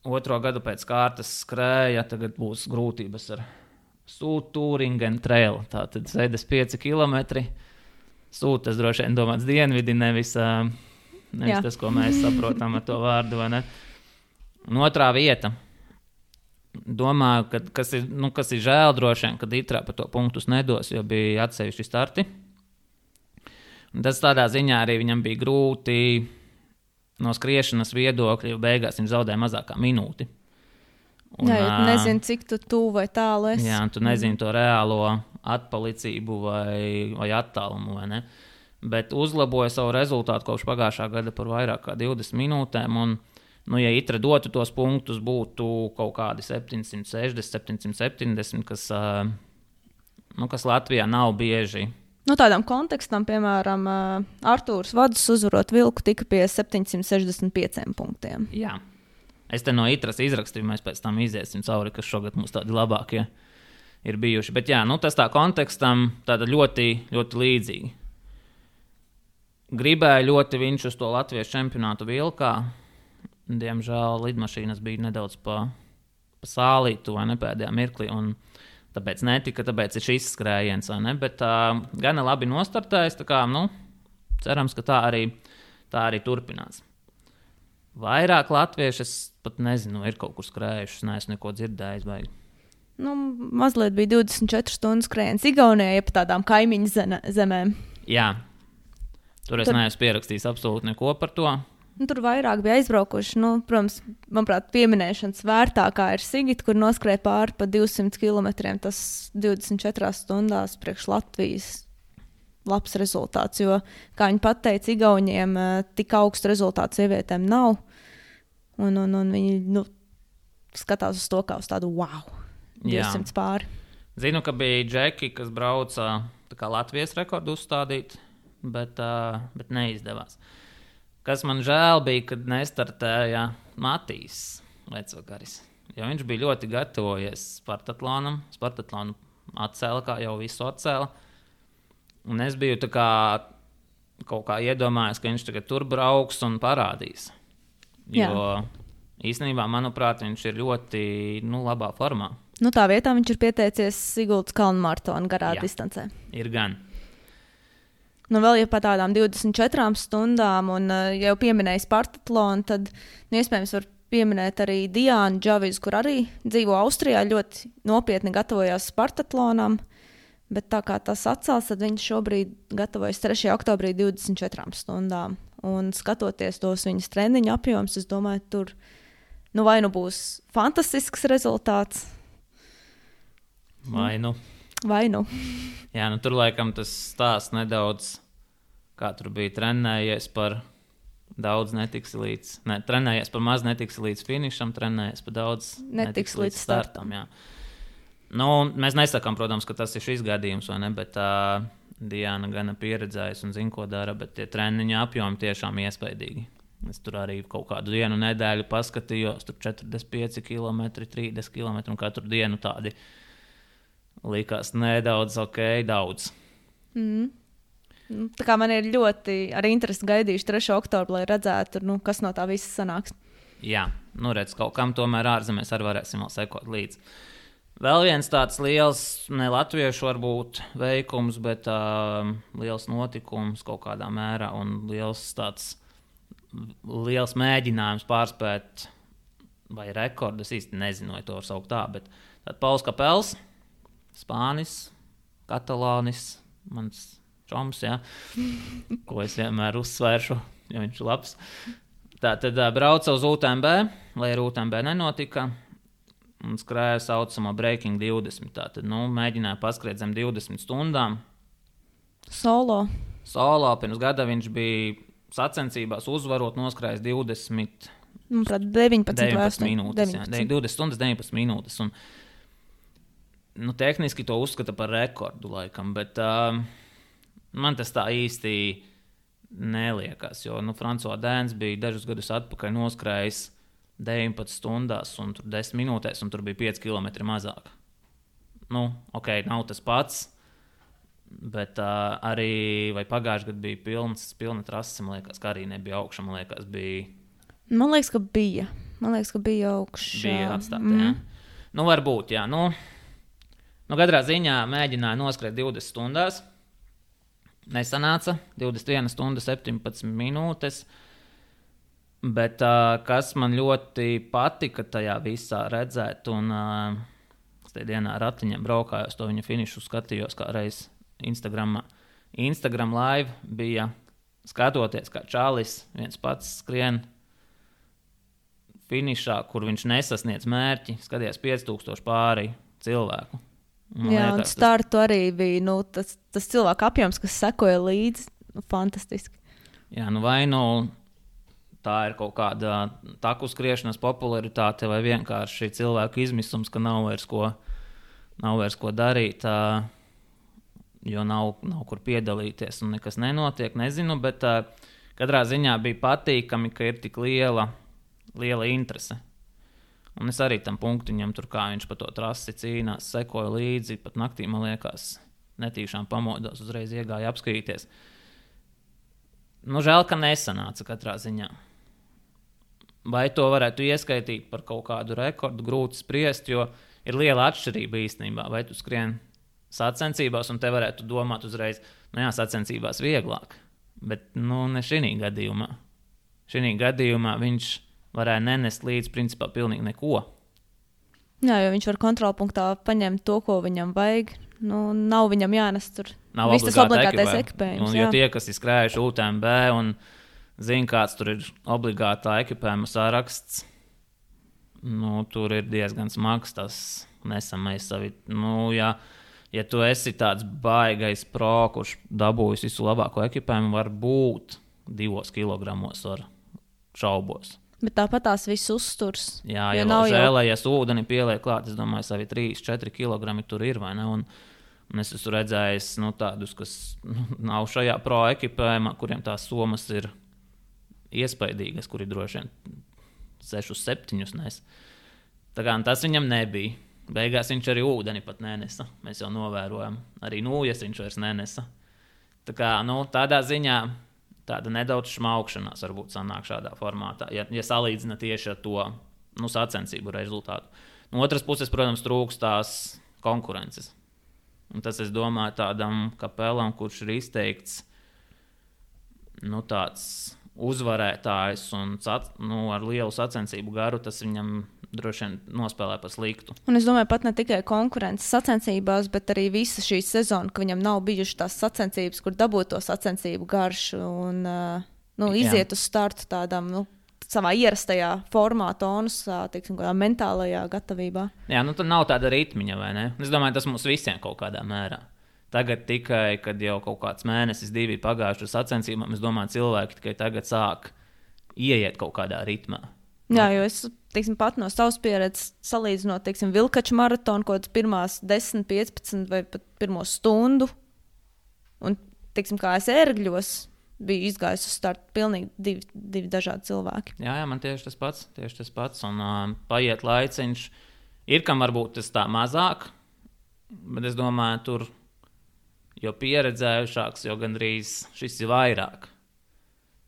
otro gadu pēc kārtas skrēja, tagad būs grūtības ar Sūtūringen trail, tātad sēdes pieci kilometri. Sūt, tas droši vien domāts dienvidi, nevis, nevis tas, ko mēs saprotam ar to vārdu, vai ne? Un otrā vieta. Domāju, ka, kas, ir, nu, kas ir žēl droši vien, kad Itrā par to punktus nedos, jo bija atsevišķi starti. Un tas tādā ziņā arī viņam bija grūti no skriešanas viedokļa, jo beigās viņš zaudēja mazākā minūti. Un, jā, jo tu nezini, cik tu tuvu vai tālu esi. Jā, tu nezini to reālo atpalicību vai, vai attālumu, vai ne? Bet uzlaboja savu rezultātu kopš pagājušā gada par vairāk kā divdesmit minūtēm, un, nu, ja Itra dotu tos punktus, būtu kaut kādi septiņsimt sešdesmit, septiņsimt septiņdesmit, kas, nu, kas Latvijā nav bieži No tādām kontekstam, piemēram, Artūrs Vadus uzvarot vilku tika pie septiņsimt sešdesmit pieciem punktiem. Jā. Es te no Itras izrakstīju, mēs pēc tam iziesim cauri, kas šogad mums tādi labākie ir bijuši. Bet jā, nu tas tā kontekstam tāda ļoti, ļoti līdzīgi. Gribēju ļoti viņš uz to Latvijas čempionātu vilkā. Diemžēl lidmašīnas bija nedaudz pa, pa sālītu vai ne pēdējā mirklī, un tāpēc netika, tāpēc ir šis skrējiens, vai ne? Bet uh, gana labi nostartējis, tā kā, nu, cerams, ka tā arī, tā arī turpinās. Vairāk latvieši, es pat nezinu, ir kaut kur skrējuši, neesmu neko dzirdējis. Vai... Nu, mazliet bija divdesmit četru stundu skrējiens Igaunijā, ja pa tādām kaimiņu zemēm. Jā, tur es tur... neesmu pierakstījis absolūti neko par to. Nu, tur vairāk bija aizbraukuši. Nu, protams, manuprāt, pieminēšanas vērtākā ir Sigita, kur noskrēja pāri pa divsimt kilometriem. Tas divdesmit četrās stundās priekš Latvijas labs rezultāts, jo, kā viņi pateica, Igauniem tik augstu rezultātu sievietēm nav. Un, un, un viņi nu, skatās uz to kā uz tādu wow, divsimt pāri. Zinu, ka bija džeki, kas brauca tā kā Latvijas rekordu uzstādīt, bet, uh, bet neizdevās. Kas man žēl bija, kad nestartēja Matīs Vecvakaris. Jo viņš bija ļoti gatavojies Spartatlonam. Spartatlonu atcēla, kā jau visu atcēla. Un es biju tā kā kaut kā iedomājies, ka viņš tagad tur brauks un parādīs. Jo Jā. īstenībā, manuprāt, viņš ir ļoti nu, labā formā. Nu, tā vietā viņš ir pieteicies Siguldas kalnu maratona garā Jā. distancē. Ir gan. Nu, vēl ja pa tādām divdesmit četrām stundām, un uh, ja jau pieminēja Spartatlonu, tad nu, iespējams var pieminēt arī Diānu Džavizu, kur arī dzīvo Austrijā, ļoti nopietni gatavojās Spartatlonam. Bet tā kā tas atcēls, tad viņš šobrīd gatavojas trešajā oktobrī divdesmit četrām stundām. Un skatoties tos viņas treniņu apjoms, es domāju, tur nu vai nu būs fantastisks rezultāts. Vai nu. Vai nu. Jā, nu tur laikam tas stāsts nedaudz, kā tur bija trenējies par daudz netiks līdz, ne, trenējies par maz netiks līdz finišam, trenējies par daudz netiks, netiks līdz startam. startam jā. Nu, mēs nesakām, protams, ka tas ir šis gadījums, vai ne, bet uh, Diana gana pieredzējusi un zina, ko dara, bet tie treniņa apjomi tiešām iespaidīgi. Es tur arī kaut kādu dienu nedēļu paskatījos, tur četrdesmit pieci kilometri, trīsdesmit kilometri, un katru dienu tādi likās nedaudz, ok, daudz. Mm. Tā kā man ir ļoti ar interesi gaidījuši trešo oktobru, lai redzētu, nu, kas no tā visa sanāks. Jā, nu redz, kaut kam tomēr ārzemēs arī varēsim vēl sekot līdzi. Vēl viens tāds liels, ne latviešu varbūt veikums, bet uh, liels notikums kaut kādā mērā un liels tāds, liels mēģinājums pārspēt vai rekordu, es īsti nezinu, vai to var saukt tā, bet tad Pauls Kapels, Spānis, Katalānis, mans čoms, jā, ko es vienmēr uzsvēršu, jo viņš ir labs. Tā tad uh, brauca uz U T M B, lai ar U T M B nenotika, un skrēja saucamo Breaking divdesmit. Tātad, nu, mēģināja paskriet zem divdesmit stundām. Solo. Solo. Pirms gada viņš bija sacensībās uzvarot, noskrējis divdesmit, deviņpadsmit, deviņpadsmit minūtes. Jā, divdesmit stundas, deviņpadsmit minūtes. Un, nu, tehniski to uzskata par rekordu laikam, bet uh, man tas tā īsti neliekas, jo nu, Francois Dēns bija dažus gadus atpakaļ noskrējis deviņpadsmit stundās un tur desmit minūtēs, un tur bija pieci kilometri mazāk. Nu, ok, nav tas pats, bet uh, arī, vai pagājuši gadu bija pilns, pilna trase, man liekas, ka arī nebija augša, man liekas, bija... Man liekas, ka bija. Man liekas, ka bija augša. Bija atstāta, mm. jā. Nu, varbūt, jā. Nu, nu, katrā ziņā mēģināja noskrēt divdesmit stundās. Nesanāca. divdesmit viena stunda, septiņpadsmit minūtes. Bet uh, kas man ļoti patika tajā visā redzēt, un uh, es tajā dienā ratiņiem braukājos, to viņa finišu skatījos kā reiz Instagramā. Instagram live bija skatoties, kā Čālis viens pats skrien finišā, kur viņš nesasniedz mērķi, skatījās pieci tūkstoši pāri cilvēku. Man Jā, liekas, un startu tas... arī bija nu, tas, tas cilvēku apjoms, kas sekoja līdzi, nu, fantastiski. Jā, nu vai nu tā ir kaut kāda taku skriešanas popularitāte vai vienkārši cilvēku izmisums, ka nav vairs ko, nav vairs ko darīt. Tā, jo nav, nav kur piedalīties un nekas nenotiek, nezinu, bet uh, katrā ziņā bija patīkami, ka ir tik liela, liela interese. Un es arī tam punktiņam, tur kā viņš pa to trasi cīnās, sekoju līdzi, pat naktī, man liekas, netīšām pamodos, uzreiz iegāja apskatīties. Nu, žēl, ka nesanāca katrā ziņā. Vai to varētu ieskaitīt par kaut kādu rekordu, grūti spriest, jo ir liela atšķirība īstenībā. Vai tu skrien sacensībās un te varētu domāt uzreiz, nu jā, sacensībās vieglāk, bet nu ne šī gadījumā. Šī gadījumā viņš varēja nenest līdz principā pilnīgi neko. Jā, jo viņš var kontrolpunktā paņemt to, ko viņam vajag. Nu, nav viņam jānes tur. Nav viss tas obligātais ekipējums. Un, jo tie, kas ir skrējuši U T M B un zina, kāds tur ir obligātā ekipējuma saraksts, nu, tur ir diezgan smags tas nesamais savi. Nu, ja, ja tu esi tāds baigais pro, kurš dabūjis visu labāko ekipējumu, var būt divos kilogramos ar šaubos. Bet tāpat tās viss uzturs. Jā, ja vēl žēlējies jau... ūdeni pieliek klāt, es domāju, savi trīs četri kilogrami tur ir, vai ne? Un, un es esmu redzējis nu, tādus, kas nu, nav šajā pro ekipējumā, kuriem tās somas ir iespaidīgas, kuri droši vien sešus, septiņus nes. Tā kā tas viņam nebija. Beigās viņš arī ūdeni pat nenesa. Mēs jau novērojam. Arī nūjas viņš vairs nenesa. Tā kā, nu, tādā ziņā tāda nedaudz šmaukšanās varbūt sanāk šādā formātā, ja, ja salīdzina tieši ar to nu, sacensību rezultātu. No otras puses, protams, trūkst tās konkurences. Un tas, es domāju, tādam Kapelam, kurš ir izteikts nu, tāds uzvarētājs un nu, ar lielu sacensību garu, tas viņam droši vien nospēlē pa sliktu. Un es domāju, pat ne tikai konkurences sacensībās, bet arī visa šī sezona, ka viņam nav bijušas tās sacensības, kur dabūt to sacensību garšu un uh, nu, iziet Jā. Uz startu tādām nu, savā ierastajā formā, tonusā, teiksim, kādā mentālajā gatavībā. Jā, nu tad nav tāda ritmiņa, vai ne? Es domāju, tas mums visiem kaut kādā mērā. Tagad tikai, kad jau kaut kāds mēnesis, divi pagājuši uz sacensībām, es domāju, cilvēki tikai tagad sāk ieiet kaut kādā ritmā. Jā, jo es teiksim, pat no savas pieredzes salīdzinot, teiksim, Vilkaču maratonu, kaut kādas pirmās desmit, piecpadsmit vai pat pirmo stundu. Un, teiksim, kā es ērgļos, biju izgājis uz startu pilnīgi divi, divi dažādi cilvēki. Jā, jā, man tieši tas pats, tieši tas pats. Un uh, paiet laiciņš. Ir, kam varbūt tas tā mazāk, bet es domāju, tur jo pieredzējušāks, jo gandrīz šis ir vairāk.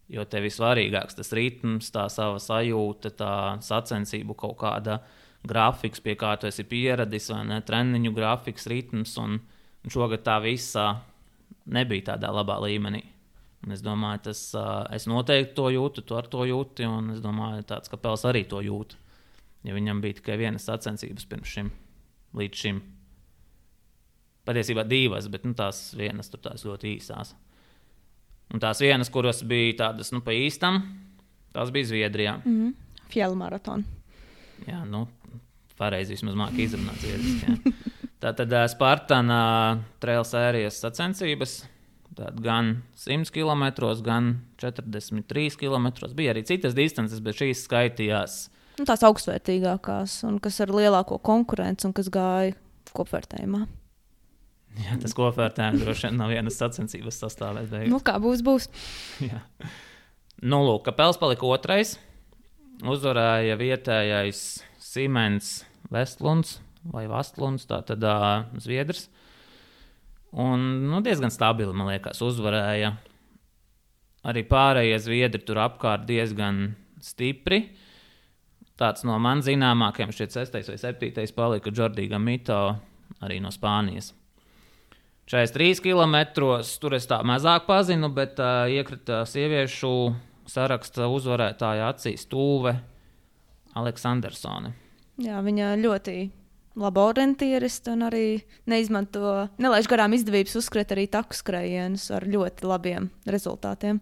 Jo tev ir svarīgāks tas ritms, tā sava sajūta, tā sacensību kaut kāda grafiks, pie kā tu esi pieradis, vai ne, treniņu grafiks, ritms, un, un šogad tā visā nebija tādā labā līmenī. Un es domāju, tas, es noteikti to jūtu, tu ar to jūti, un es domāju, tāds Kapels arī to jūt. Ja viņam bija tikai vienas sacensības pirms šim, līdz šim. Patiesībā divas, bet nu, tās vienas tur tās ļoti īsās. Un tās vienas, kuras bija tādas, nu, pa īstam, tās bija Zviedrijā. Mm-hmm. Fjell maratona. Jā, nu, pareizi vismaz māk izrunāt zviedriski. Tātad Spartana trail sērijas sacensības, tātad gan simt kilometros, gan četrdesmit trīs kilometros. Bija arī citas distances, bet šīs skaitījās. Nu, tās augstvērtīgākās, un kas ar lielāko konkurenci, un kas gāja kopvērtējumā. Jā, tas kopvērtējums droši vien nav vienas sacensības sastāvēt. Beigās. Nu, kā būs, būs. Jā. Nu, lūk, Kapels palika otrais. Uzvarēja vietējais Simens Vestlunds vai Vastlunds, tātad uh, Zviedrs. Un nu, diezgan stabili, man liekas, uzvarēja. Arī pārējie Zviedri tur apkārt diezgan stipri. Tāds no man zināmākajiem šķiet sestais vai septītais palika Jordi Gamito, arī no Spānijas. četrdesmit trīs kilometros, tur es tā mazāk pazinu, bet uh, iekrita sieviešu saraksta uzvarētāja acīs Tūve Aleksandersone. Jā, viņa ļoti laba orientieriste un arī neizmanto, nelaiž garām izdevības uzskriet arī taku skrējienus ar ļoti labiem rezultātiem.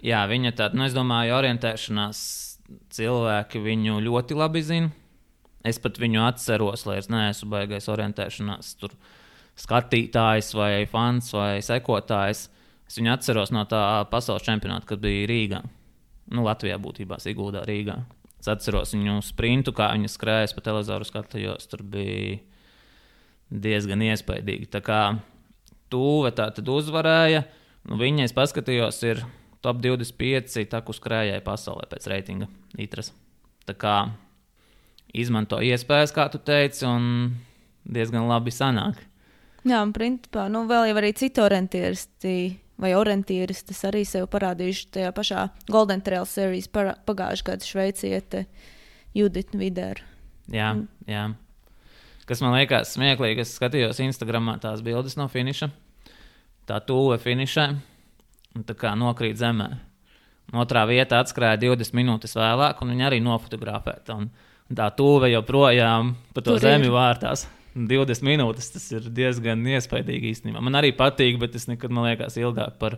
Jā, viņa tāda, nu es domāju, orientēšanās cilvēki viņu ļoti labi zina. Es pat viņu atceros, lai es neesmu baigais orientēšanās tur skatītājs vai fans vai sekotājs. Es viņu atceros no tā pasaules čempionāta, kad bija Rīgā. Nu, Latvijā būtībā, Siguldā, Rīgā. Es atceros viņu sprintu, kā viņa skrējas pa televizoru skatījos. Tur bija diezgan iespaidīgi. Tā kā Tūve tā tad uzvarēja. Nu, viņa, es paskatījos, ir top divdesmit pieci taku skrējēji pasaulē pēc reitinga Itras. Tā kā izmanto iespējas, kā tu teici, un diezgan labi sanāk. Jā, un principā, nu, vēl jau arī citi orientieristi vai orientieristas arī sev parādījuši tajā pašā Golden Trail Series pagājušajā gada šveiciete Judita Videra. Jā, mm. jā. Kas man liekas smieklīgi, es skatījos Instagramā tās bildes no finiša. Tā Tūve finišē, un tā kā nokrīt zemē. Otrā vieta atskrēja divdesmit minūtes vēlāk, un viņa arī nofotografēta. Un, un tā Tūve joprojām pa to Tur zemi ir. Vārtās. divdesmit minūtes, tas ir diezgan iespaidīgi īstenībā. Man arī patīk, bet es nekad, man liekas, ilgāk par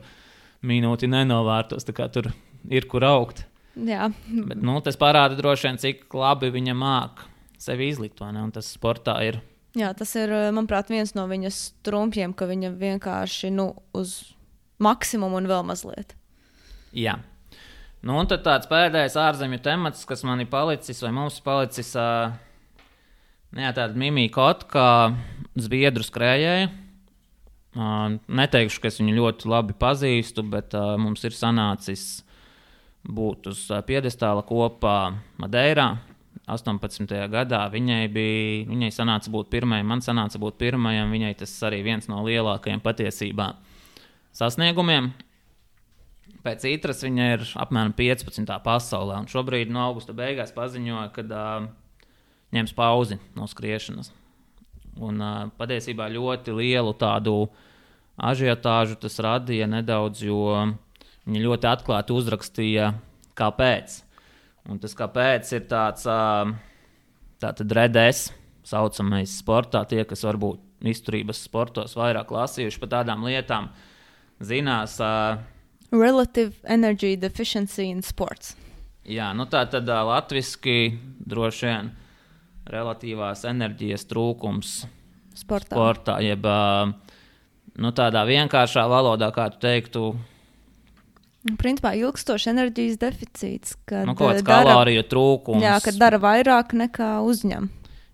minūti nenovārtos, tā kā tur ir kur augt. Jā. Bet, nu, tas parāda droši vien, cik labi viņa māk sevi izlikt, vai ne? Un tas sportā ir. Jā, tas ir, manuprāt, viens no viņas trumpiem, ka viņa vienkārši, nu, uz maksimumu un vēl mazliet. Jā. Nu, un tad tāds pēdējais ārzemju temats, kas man ir palicis, vai mums ir palicis... Uh, Jā, tāda Mimija Kotka, zviedru skrējēja. Uh, neteikšu, ka es viņu ļoti labi pazīstu, bet uh, mums ir sanācis būt uz uh, piedestāla kopā Madeirā. astoņpadsmitajā gadā viņai, bija, viņai sanāca būt pirmajai, man sanāca būt pirmajam. Viņai tas arī viens no lielākajiem patiesībā sasniegumiem. Pēc Itras viņa ir apmēram piecpadsmitā pasaulē, un šobrīd no augusta beigās paziņoja, kad... Uh, ņems pauzi no skriešanas. Un uh, patiesībā ļoti lielu tādu ažiotāžu tas radīja nedaudz, jo viņi ļoti atklāti uzrakstīja, kāpēc. Un tas kāpēc ir tāds uh, tātad redes saucamais sportā, tie, kas varbūt izturības sportos vairāk lasījuši par tādām lietām, zinās. Uh, Relative Energy Deficiency in Sports. Jā, nu tā tad uh, latviski droši vien relatīvās enerģijas trūkums sportā, sportā jeb nu, tādā vienkāršā valodā, kā tu teiktu. Principā ilgstošs enerģijas deficīts, kad nu, kaut kāds kaloriju trūkums. Jā, kad dara vairāk nekā uzņem.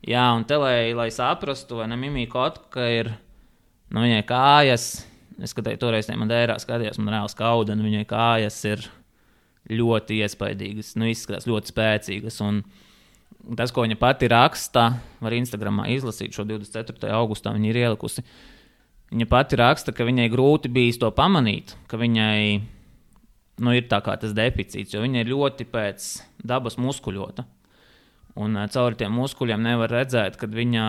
Jā, un te, lai, lai saprastu, vai ne, Mimija Kotka ir, nu, viņai kājas, es skatēju toreiz ne Madeirā skatījos, man reāli skauda, un viņai kājas ir ļoti iespaidīgas, nu, izskatās ļoti spēcīgas, un tas, ko viņa pati raksta, var Instagramā izlasīt šo divdesmit ceturtajā augustā, viņa ir ielikusi. Viņa pati raksta, ka viņai grūti bijis to pamanīt, ka viņai nu, ir tā kā tas deficīts, jo viņa ir ļoti pēc dabas muskuļota. Un cauri tiem muskuļiem nevar redzēt, kad viņa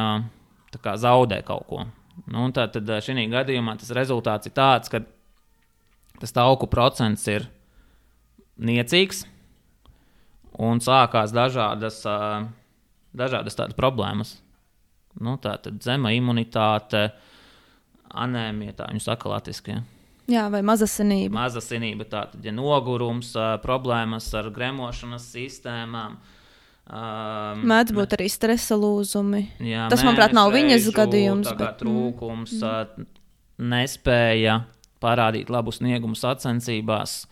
tā kā zaudē kaut ko. Nu, un tā tad šī gadījumā tas rezultāts ir tāds, ka tas tauku procents ir niecīgs, un sākās dažādas, dažādas tādas problēmas. Nu, tā tad zema imunitāte, anēmija, tā viņu saka latviski. Ja? Jā, vai mazasinība. Mazasinība, tā tad ja nogurums, problēmas ar gremošanas sistēmām. Mēdz būt arī stresa lūzumi. Jā, tas, manuprāt, nav viņas gadījums. Tā kā bet... trūkums, mm. nespēja parādīt labu sniegumu sacensībās.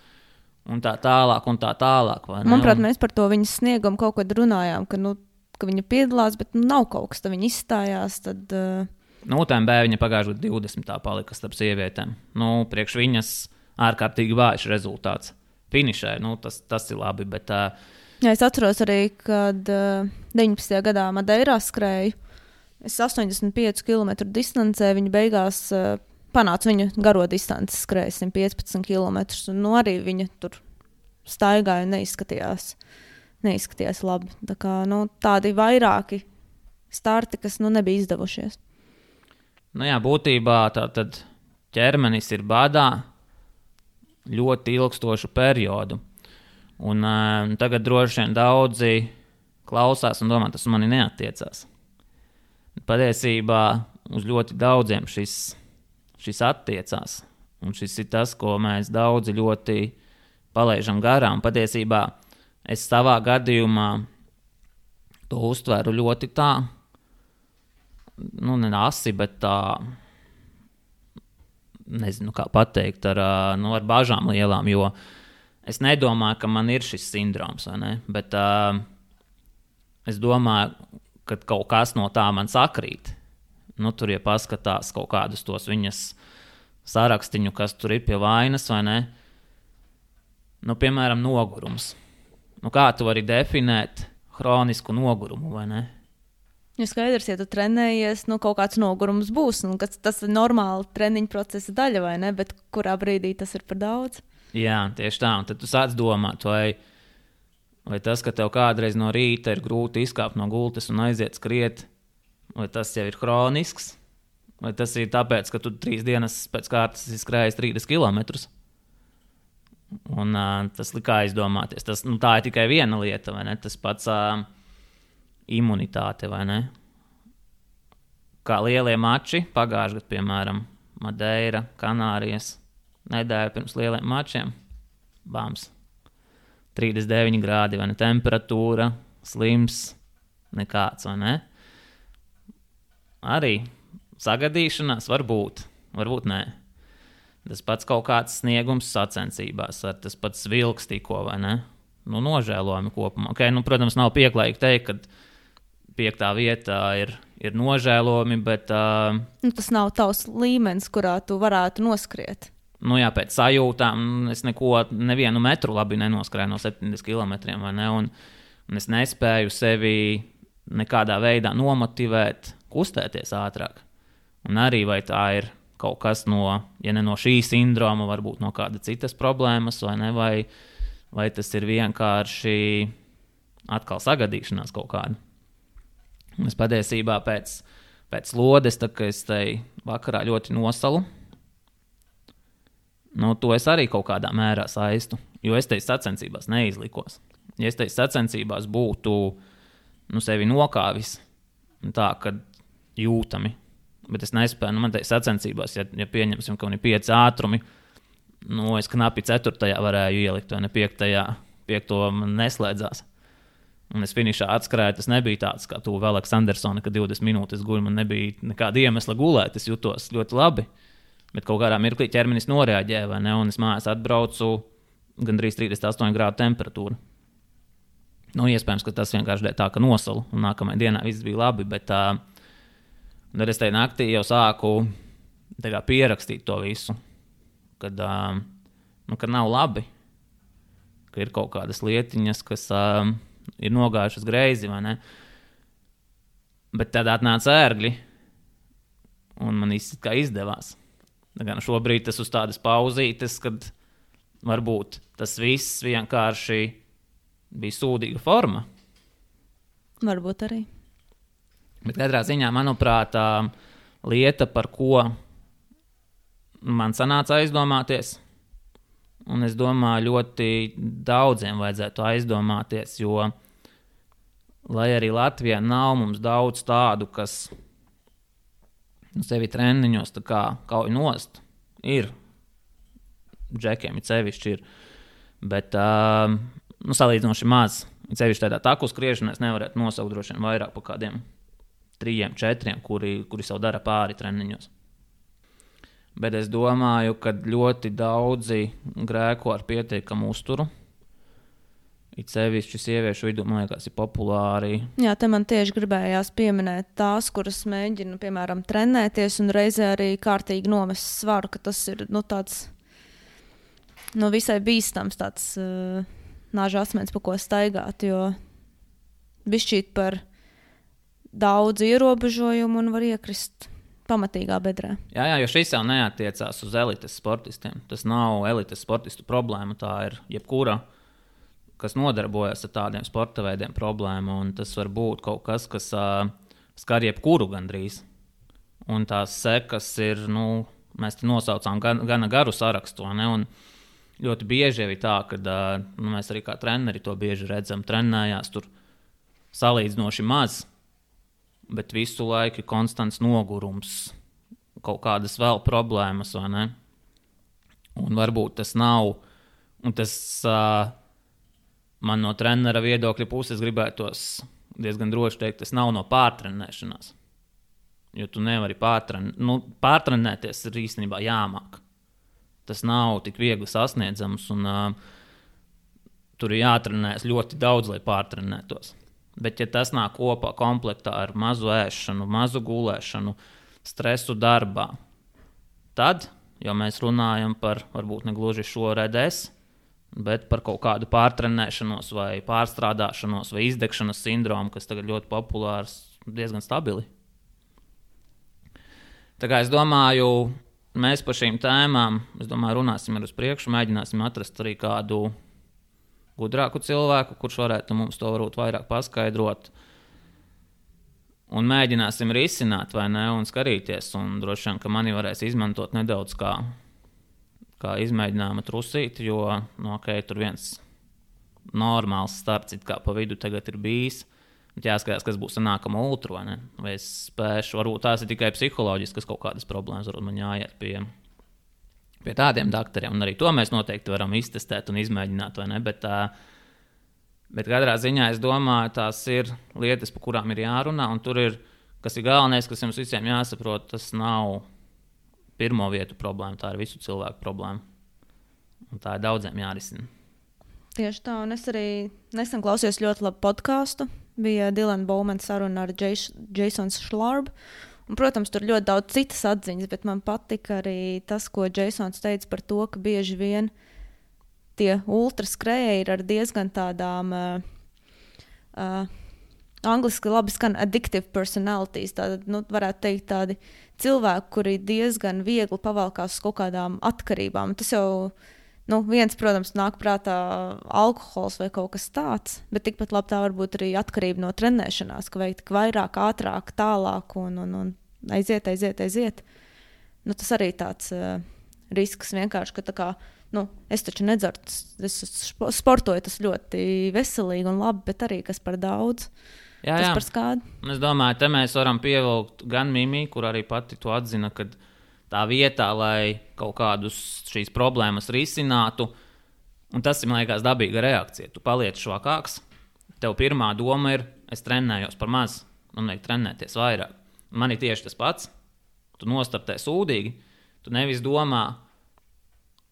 Un tā tālāk, un tā tālāk. Manuprāt, mēs par to viņas sniegumu kaut kad runājām, ka, nu, ka viņa piedalās, bet nu, nav kaut kas, tad viņa izstājās. Tad, uh... Nu, U T M B viņa pagājušajā divdesmitā palika starp sievietēm. Nu, priekš viņas ārkārtīgi vājš rezultāts. Finišē, nu, tas, tas ir labi, bet... Uh... Jā, es atceros arī, kad uh, deviņpadsmitajā gadā Madeirā skrēju. Es astoņdesmit piecu kilometru distancē, viņa beigās... Uh, panāca viņu garo distanci, skrēja simt piecpadsmit kilometrus, un nu, arī viņa tur staigāja un neizskatījās, neizskatījās labi. Tā kā, nu, tādi vairāki starti, kas nu, nebija izdevušies. Nu jā, būtībā tā tad ķermenis ir badā ļoti ilgstošu periodu. Un uh, tagad droši vien daudzi klausās un domā, tas mani neattiecās. Patiesībā uz ļoti daudziem šis šis attiecās, un šis ir tas, ko mēs daudzi ļoti palaižam garām. Patiesībā es savā gadījumā to uztveru ļoti tā, nu, ne asi, bet tā, nezinu, kā pateikt, ar, nu, ar bažām lielām, jo es nedomāju, ka man ir šis sindroms, vai ne, bet uh, es domāju, ka kaut kas no tā man sakrīt. Nu, tur, ja paskatās kaut kādus tos viņas sarakstiņu, kas tur ir pie vainas, vai ne? Nu, piemēram, nogurums. Nu, kā tu vari definēt hronisku nogurumu, vai ne? Ja skaidrs, ja tu trenējies, nu kaut kāds nogurums būs, nu, tas ir normāli treniņu procesa daļa, vai ne? Bet kurā brīdī tas ir par daudz? Jā, tieši tā. Un tad tu sāc domāt, vai, vai tas, ka tev kādreiz no rīta ir grūti izkāpt no gultas un aiziet skriet, vai tas jau ir hronisks, vai tas ir tāpēc, ka tu trīs dienas pēc kārtas izskrējies trīsdesmit kilometrus. Un uh, tas likā aizdomāties. Tas, nu, tā ir tikai viena lieta, vai ne? Tas pats... Uh, imunitāte, vai ne? Kā lielie mači, pagājušajā gadā, piemēram, Madeira, Kanārijas, nedēļa pirms lieliem mačiem, bams, trīsdesmit deviņi grādi, vai ne? Temperatūra, slims, nekāds, vai ne? Arī sagadīšanās var būt, varbūt nē. Tas pats kaut kāds sniegums sacensībās, ar tas pats vilks tikko, vai ne? Nu, nožēlojami kopumā. Okay, nu, protams, nav pieklājīgi teikt, ka piektā vietā ir, ir nožēlojami, bet... Uh, nu, tas nav tavs līmenis, kurā tu varētu noskriet. Nu jā, pēc sajūtām es neko, nevienu metru labi nenoskrēju no septiņdesmit kilometriem, vai ne? Un, un es nespēju sevi nekādā veidā nomotivēt, kustēties ātrāk. Un arī vai tā ir kaut kas no, ja ne no šī sindroma, varbūt no kāda citas problēmas, vai ne? Vai, vai tas ir vienkārši atkal sagadīšanās kaut kāda. Es patiesībā pēc, pēc lodes, tā kā es tai vakarā ļoti nosalu, nu, to es arī kaut kādā mērā saistu, jo es teicu sacensībās neizlikos. Ja es teicu sacensībās būtu nu, sevi nokāvis, tā, kad jūtami, bet es nespēju, nu, man teicu sacensībās, ja, ja pieņemsim, ka man ir pieci ātrumi, nu, es knapi ceturtajā varēju ielikt, vai ne piektajā, piekto man neslēdzās. Un es finišā atskrēju, tas nebija tāds, kā tu vēl Aleksandersona, ka divdesmit minūtes guļu, man nebija nekāda iemesla gulēt, es jutos ļoti labi, bet kaut kādā mirklī ķermenis noreaģēja, vai ne, un es mājās atbraucu gandrīz trīsdesmit astoņi grādu temperatūra. Nu, iespējams, ka tas vienkārši dēļ tā, ka nosalu, un nākamajā dienā viss bija labi, bet tā, tad es tajā naktī jau sāku tā kā pierakstīt to visu, kad, nu, kad nav labi, ka ir kaut kādas lietiņas, kas... ir nogājušas greizi, vai ne? Bet tad atnāca ērgļi, un man īsti kā izdevās. Gan šobrīd tas uz tādas pauzītes, kad varbūt tas viss vienkārši bija sūdīga forma. Varbūt arī. Bet katrā ziņā, manuprāt, lieta, par ko man sanāca aizdomāties, un es domāju, ļoti daudziem vajadzētu aizdomāties, jo, lai arī Latvijā nav mums daudz tādu, kas nu, sevi treniņos tā kā kauj nost, ir, džekiem ir sevišķi ir, bet uh, nu, salīdzinoši maz, ir sevišķi tādā taku skriešanā, es nevarētu nosaukt droši vien vairāk par kādiem trījiem, četriem, kuri, kuri savu dara pāri treniņos. Bet es domāju, ka ļoti daudzi grēko ar pietiekamu uzturu. It sevišķi sieviešu vidū, man liekas, ir populāri. Jā, te man tieši gribējās pieminēt tās, kuras mēģina, piemēram, trenēties un reizē arī kārtīgi nomest svaru, ka tas ir nu, tāds nu, visai bīstams tāds uh, nāža asmens, pa ko staigāt, jo bišķīt par daudz ierobežojumu un var iekrist pamatīgā bedrē. Jā, jā, jo šis jau neatiecās uz elites sportistiem. Tas nav elites sportistu problēma, tā ir jebkura, kas nodarbojas ar tādiem sporta veidiem problēmu, un tas var būt kaut kas, kas uh, skar jebkuru gandrīz. Un tās sekas ir, nu, mēs te nosaucām gan, gana garu sarakstu, ne, un ļoti bieži ir tā, ka uh, nu, mēs arī kā treneri to bieži redzam, trenējās tur salīdzinoši maz, bet visu laiku ir konstants nogurums, kaut kādas vēl problēmas, vai ne? Un varbūt tas nav, un tas uh, man no trenera viedokļa puses gribētos diezgan droši teikt, tas nav no pārtrenēšanās. Jo tu nevari pārtrenēt, nu, pārtrenēties ir īstenībā jāmāk. Tas nav tik viegli sasniedzams, un uh, tur ir jātrenēs ļoti daudz, lai pārtrenētos. Bet, ja tas nāk kopā komplektā ar mazu ēšanu, mazu gulēšanu, stresu darbā, tad, jo mēs runājam par varbūt ne gluži šo R D S, bet par kaut kādu pārtrenēšanos vai pārstrādāšanos vai izdegšanas sindromu, kas tagad ļoti populārs, diezgan stabili. Tā kā es domāju, mēs par šīm tēmām, es domāju, runāsim ar uz priekšu, mēģināsim atrast arī kādu gudrāku cilvēku, kurš varētu mums to varbūt vairāk paskaidrot. Un mēģināsim risināt, vai ne, un skatīties. Un droši vien, ka mani varēs izmantot nedaudz kā, kā izmēģinājuma trusīti, jo, nu, ok, tur viens normāls starts it kā pa vidu tagad ir bijis. Jāskatās, kas būs ar nākamo ultru, vai ne? Vai es spēšu, varbūt tās ir tikai psiholoģiskas kaut kādas problēmas, varbūt man jāiet pie, pie tādiem daktariem. Un arī to mēs noteikti varam iztestēt un izmēģināt, vai ne? Bet, tā, bet katrā ziņā es domāju, tās ir lietas, par kurām ir jārunā, un tur ir, kas ir galvenais, kas jums visiem jāsaprot, tas nav pirmo vietu problēma, tā ir visu cilvēku problēma. Un tā ir daudziem jārisina. Tieši tā, un es arī nesen klausījos ļoti labu podcastu. Bija Dilana Bowmana saruna ar Jasonu Šlārbu. Un, protams, tur ļoti daudz citas atziņas, bet man patika arī tas, ko Jasons teica par to, ka bieži vien tie ultraskrējēji ir ar diezgan tādām uh, uh, angliski labi skan addictive personalities. Tātad, nu, varētu teikt tādi cilvēki, kuri diezgan viegli pavalkās uz kaut kādām atkarībām. Tas jau Nu, viens, protams, nāk prātā alkohols vai kaut kas tāds, bet tikpat labi tā var būt arī atkarība no trenēšanās, ka vajag tik vairāk, ātrāk, tālāk un, un, un aiziet, aiziet, aiziet. Nu, tas arī tāds uh, risks vienkārši, ka tā kā, nu, es taču nedzeru, es sportoju, tas ļoti veselīgi un labi, bet arī kas par daudz. Jā, tas jā. Par skādu. Es domāju, te mēs varam pievilkt gan Mimi, kur arī pati to atzina, kad tā vietā, lai kaut kādus šīs problēmas risinātu, un tas ir, man liekas, dabīga reakcija. Tu paliec švakāks, tev pirmā doma ir, es trenējos par maz, man vajag trenēties vairāk. Man ir tieši tas pats, tu nostartē sūdīgi, tu nevis domā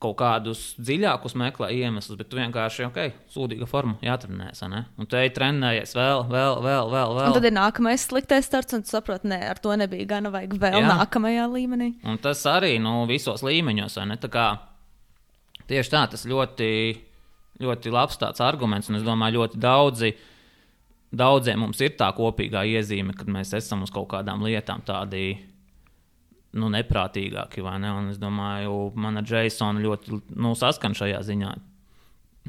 kaut kādus dziļākus meklē iemeslus, bet tu vienkārši, ok, sūdīga forma, jātrenēs, ne? Un tu ej trenējies vēl, vēl, vēl, vēl, vēl. Un tad ir nākamais sliktais starts, un tu saproti, ne, ar to nebija gana, vajag vēl Jā. Nākamajā līmenī. Un tas arī, nu, visos līmeņos, vai ne? Tā kā tieši tā, tas ļoti, ļoti labs tāds arguments, un es domāju, ļoti daudzi, daudziem mums ir tā kopīgā iezīme, kad mēs esam uz kaut kādām lietām tādi, nu, neprātīgāki, vai ne? Un es domāju, man ar Jasonu ļoti, nu, saskan šajā ziņā.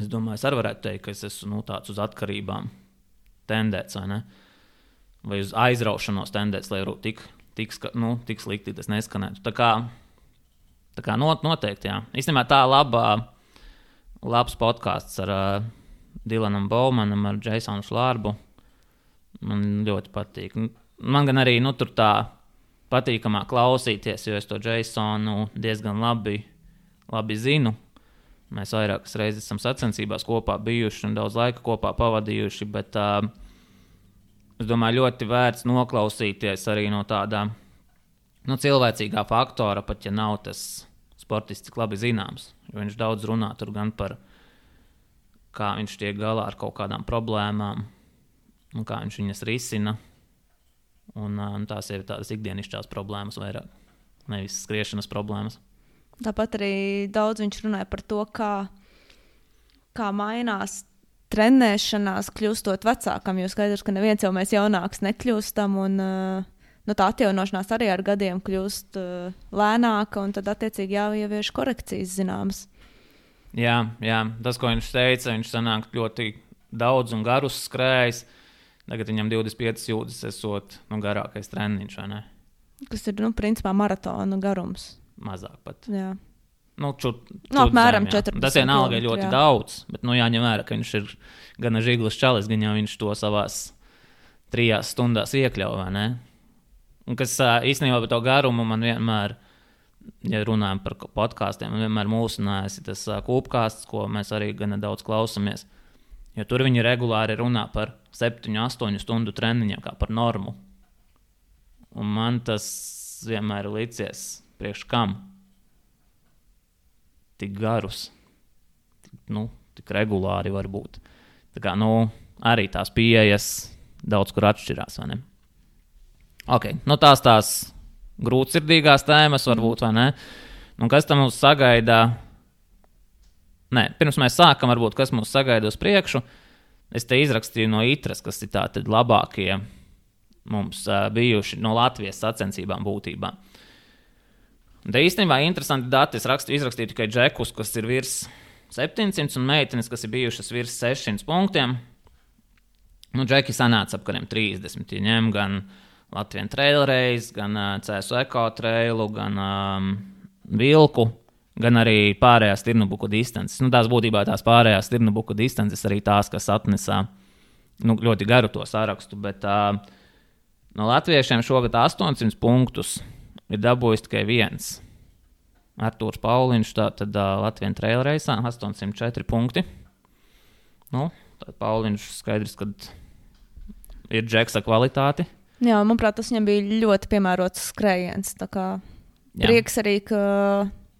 Es domāju, es arī varētu teikt, ka es esmu, nu, tāds uz atkarībām tendēts, vai ne? Vai uz aizraušanos tendēts, lai tik, tik, nu, tik slikti tas neskanētu. Tā kā, tā kā not, noteikti, jā. Īstenībā tā labā, labs podcasts ar uh, Dilanam Bowmanam, ar Jasonu Šlārbu. Man ļoti patīk. Man gan arī, nu, tur tā patīkamā klausīties, jo es to Jasonu diezgan labi, labi zinu. Mēs vairākas reizes esam sacensībās kopā bijuši un daudz laika kopā pavadījuši, bet uh, es domāju, ļoti vērts noklausīties arī no tādā, nu, cilvēcīgā faktora, pat ja nav tas sportists tik labi zināms. Jo viņš daudz runā tur gan par, kā viņš tiek galā ar kaut kādām problēmām un kā viņš viņas risina. Un, un tās ir tādas ikdienišķās problēmas vairāk, nevis skriešanas problēmas. Tāpat arī daudz viņš runāja par to, kā, kā mainās trenēšanās kļūstot vecākam, jo skaidrs, ka neviens jau mēs jaunāks nekļūstam, un nu, tā atjaunošanās arī ar gadiem kļūst lēnāka, un tad attiecīgi jāievieš korekcijas zināmas. Jā, jā, tas, ko viņš teica, viņš sanāk ļoti daudz un garus skrējis. Tagad viņam divdesmit piecas jūdzes esot, nu, garākais treniņš, vai ne? Kas ir, nu, principā maratona garums. Mazāk pat. Jā. Nu, čut, nu apmēram četrpadsmit. Tas vienalga ir ļoti jā. Daudz, bet, nu, jāņem vērā, ka viņš ir gana žiglis čalis, gan jau viņš to savās trijās stundās iekļauj, vai ne? Un kas īstenībā par to garumu man vienmēr, ja runājam par podkāstiem, man vienmēr mūsinājās tas kūpkāsts, ko mēs arī gana daudz klausamies. Jo tur viņi regulāri runā par septiņu, astoņu stundu treniņiem, kā par normu. Un man tas vienmēr ir licies priekš kam? Tik garus, tik, nu, tik regulāri var būt. Tā kā, nu, arī tās pieejas daudz kur atšķirās, vai ne? Ok, nu tās tās grūtsirdīgās tēmas varbūt, vai ne? Un kas tam mūs sagaida? Nē, pirms mēs sākam, varbūt, kas mūs sagaida uz priekšu, es te izrakstīju no Itras, kas ir tātad labākie mums uh, bijuši no Latvijas sacensībām būtībā. Un te īstenībā interesanti dati, es rakstu, izrakstīju tikai džekus, kas ir virs septiņsimt un meitenes, kas ir bijušas virs sešsimt punktiem. Nu, džeki sanāca apkariem trīsdesmit, ja ņem gan Latvijas Trail Race, gan uh, C S U Eko Trailu, gan um, Vilku, gan arī pārējās Tirnubuku distances. Nu, tās būtībā tās pārējās Tirnubuku distances arī tās, kas atnesā nu, ļoti garu to sarakstu, bet uh, no latviešiem šogad astoņsimt punktus ir dabūjis tikai viens. Artūrs Pauliņš, tātad uh, Latvijas Trail Race'ā astoņsimt četri punkti. Nu, tad Pauliņš skaidrs, kad ir džeksa kvalitāti. Jā, manuprāt, tas viņam bija ļoti piemērots skrējiens, tā kā Jā. Prieks arī, ka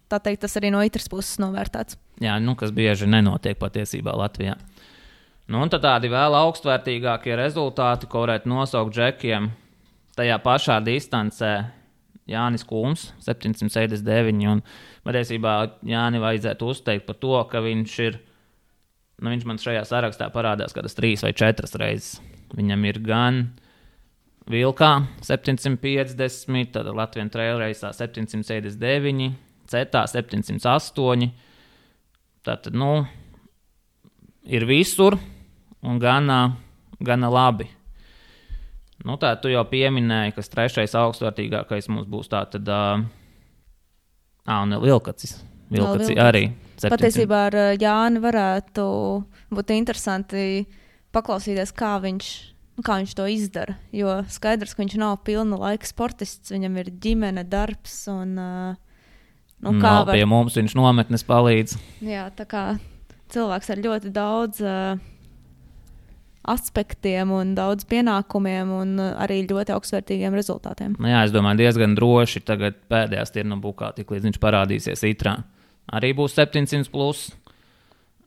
tā teikt, tas arī no Itras puses novērtēts. Jā, nu, kas bieži nenotiek patiesībā Latvijā. Nu, un tad tādi vēl augstvērtīgākie rezultāti, ko varētu nosaukt džekiem, tajā pašā distancē Jānis Kūms, septiņsimt sešdesmit deviņi, un patiesībā Jāni vajadzētu uzteikt par to, ka viņš ir, nu, viņš man šajā sarakstā parādās kādas trīs vai četras reizes. Viņam ir gan Vilkā septiņsimt piecdesmit, tad Latvijas Trail Race'ā septiņsimt sešdesmit deviņi, Cetā septiņsimt astoņi. Tātad, nu, ir visur un gana, gana labi. Nu, tā tu jau pieminēji, kas trešais augstvērtīgākais mums būs tātad, ā, un Vilkacis. Vilkacis arī. septiņsimt. Patiesībā ar Jāni varētu būt interesanti paklausīties, kā viņš kā viņš to izdara, jo skaidrs, ka viņš nav pilna laika sportists, viņam ir ģimene, darbs un, nu, kā nav var... pie mums, viņš nometnes palīdz. Jā, tā kā cilvēks ar ļoti daudz uh, aspektiem un daudz pienākumiem un uh, arī ļoti augstvērtīgiem rezultātiem. Nu jā, es domāju, diezgan droši tagad pēdējās Tirnubukā, tik līdz viņš parādīsies Itrā. Arī būs septiņsimt plus,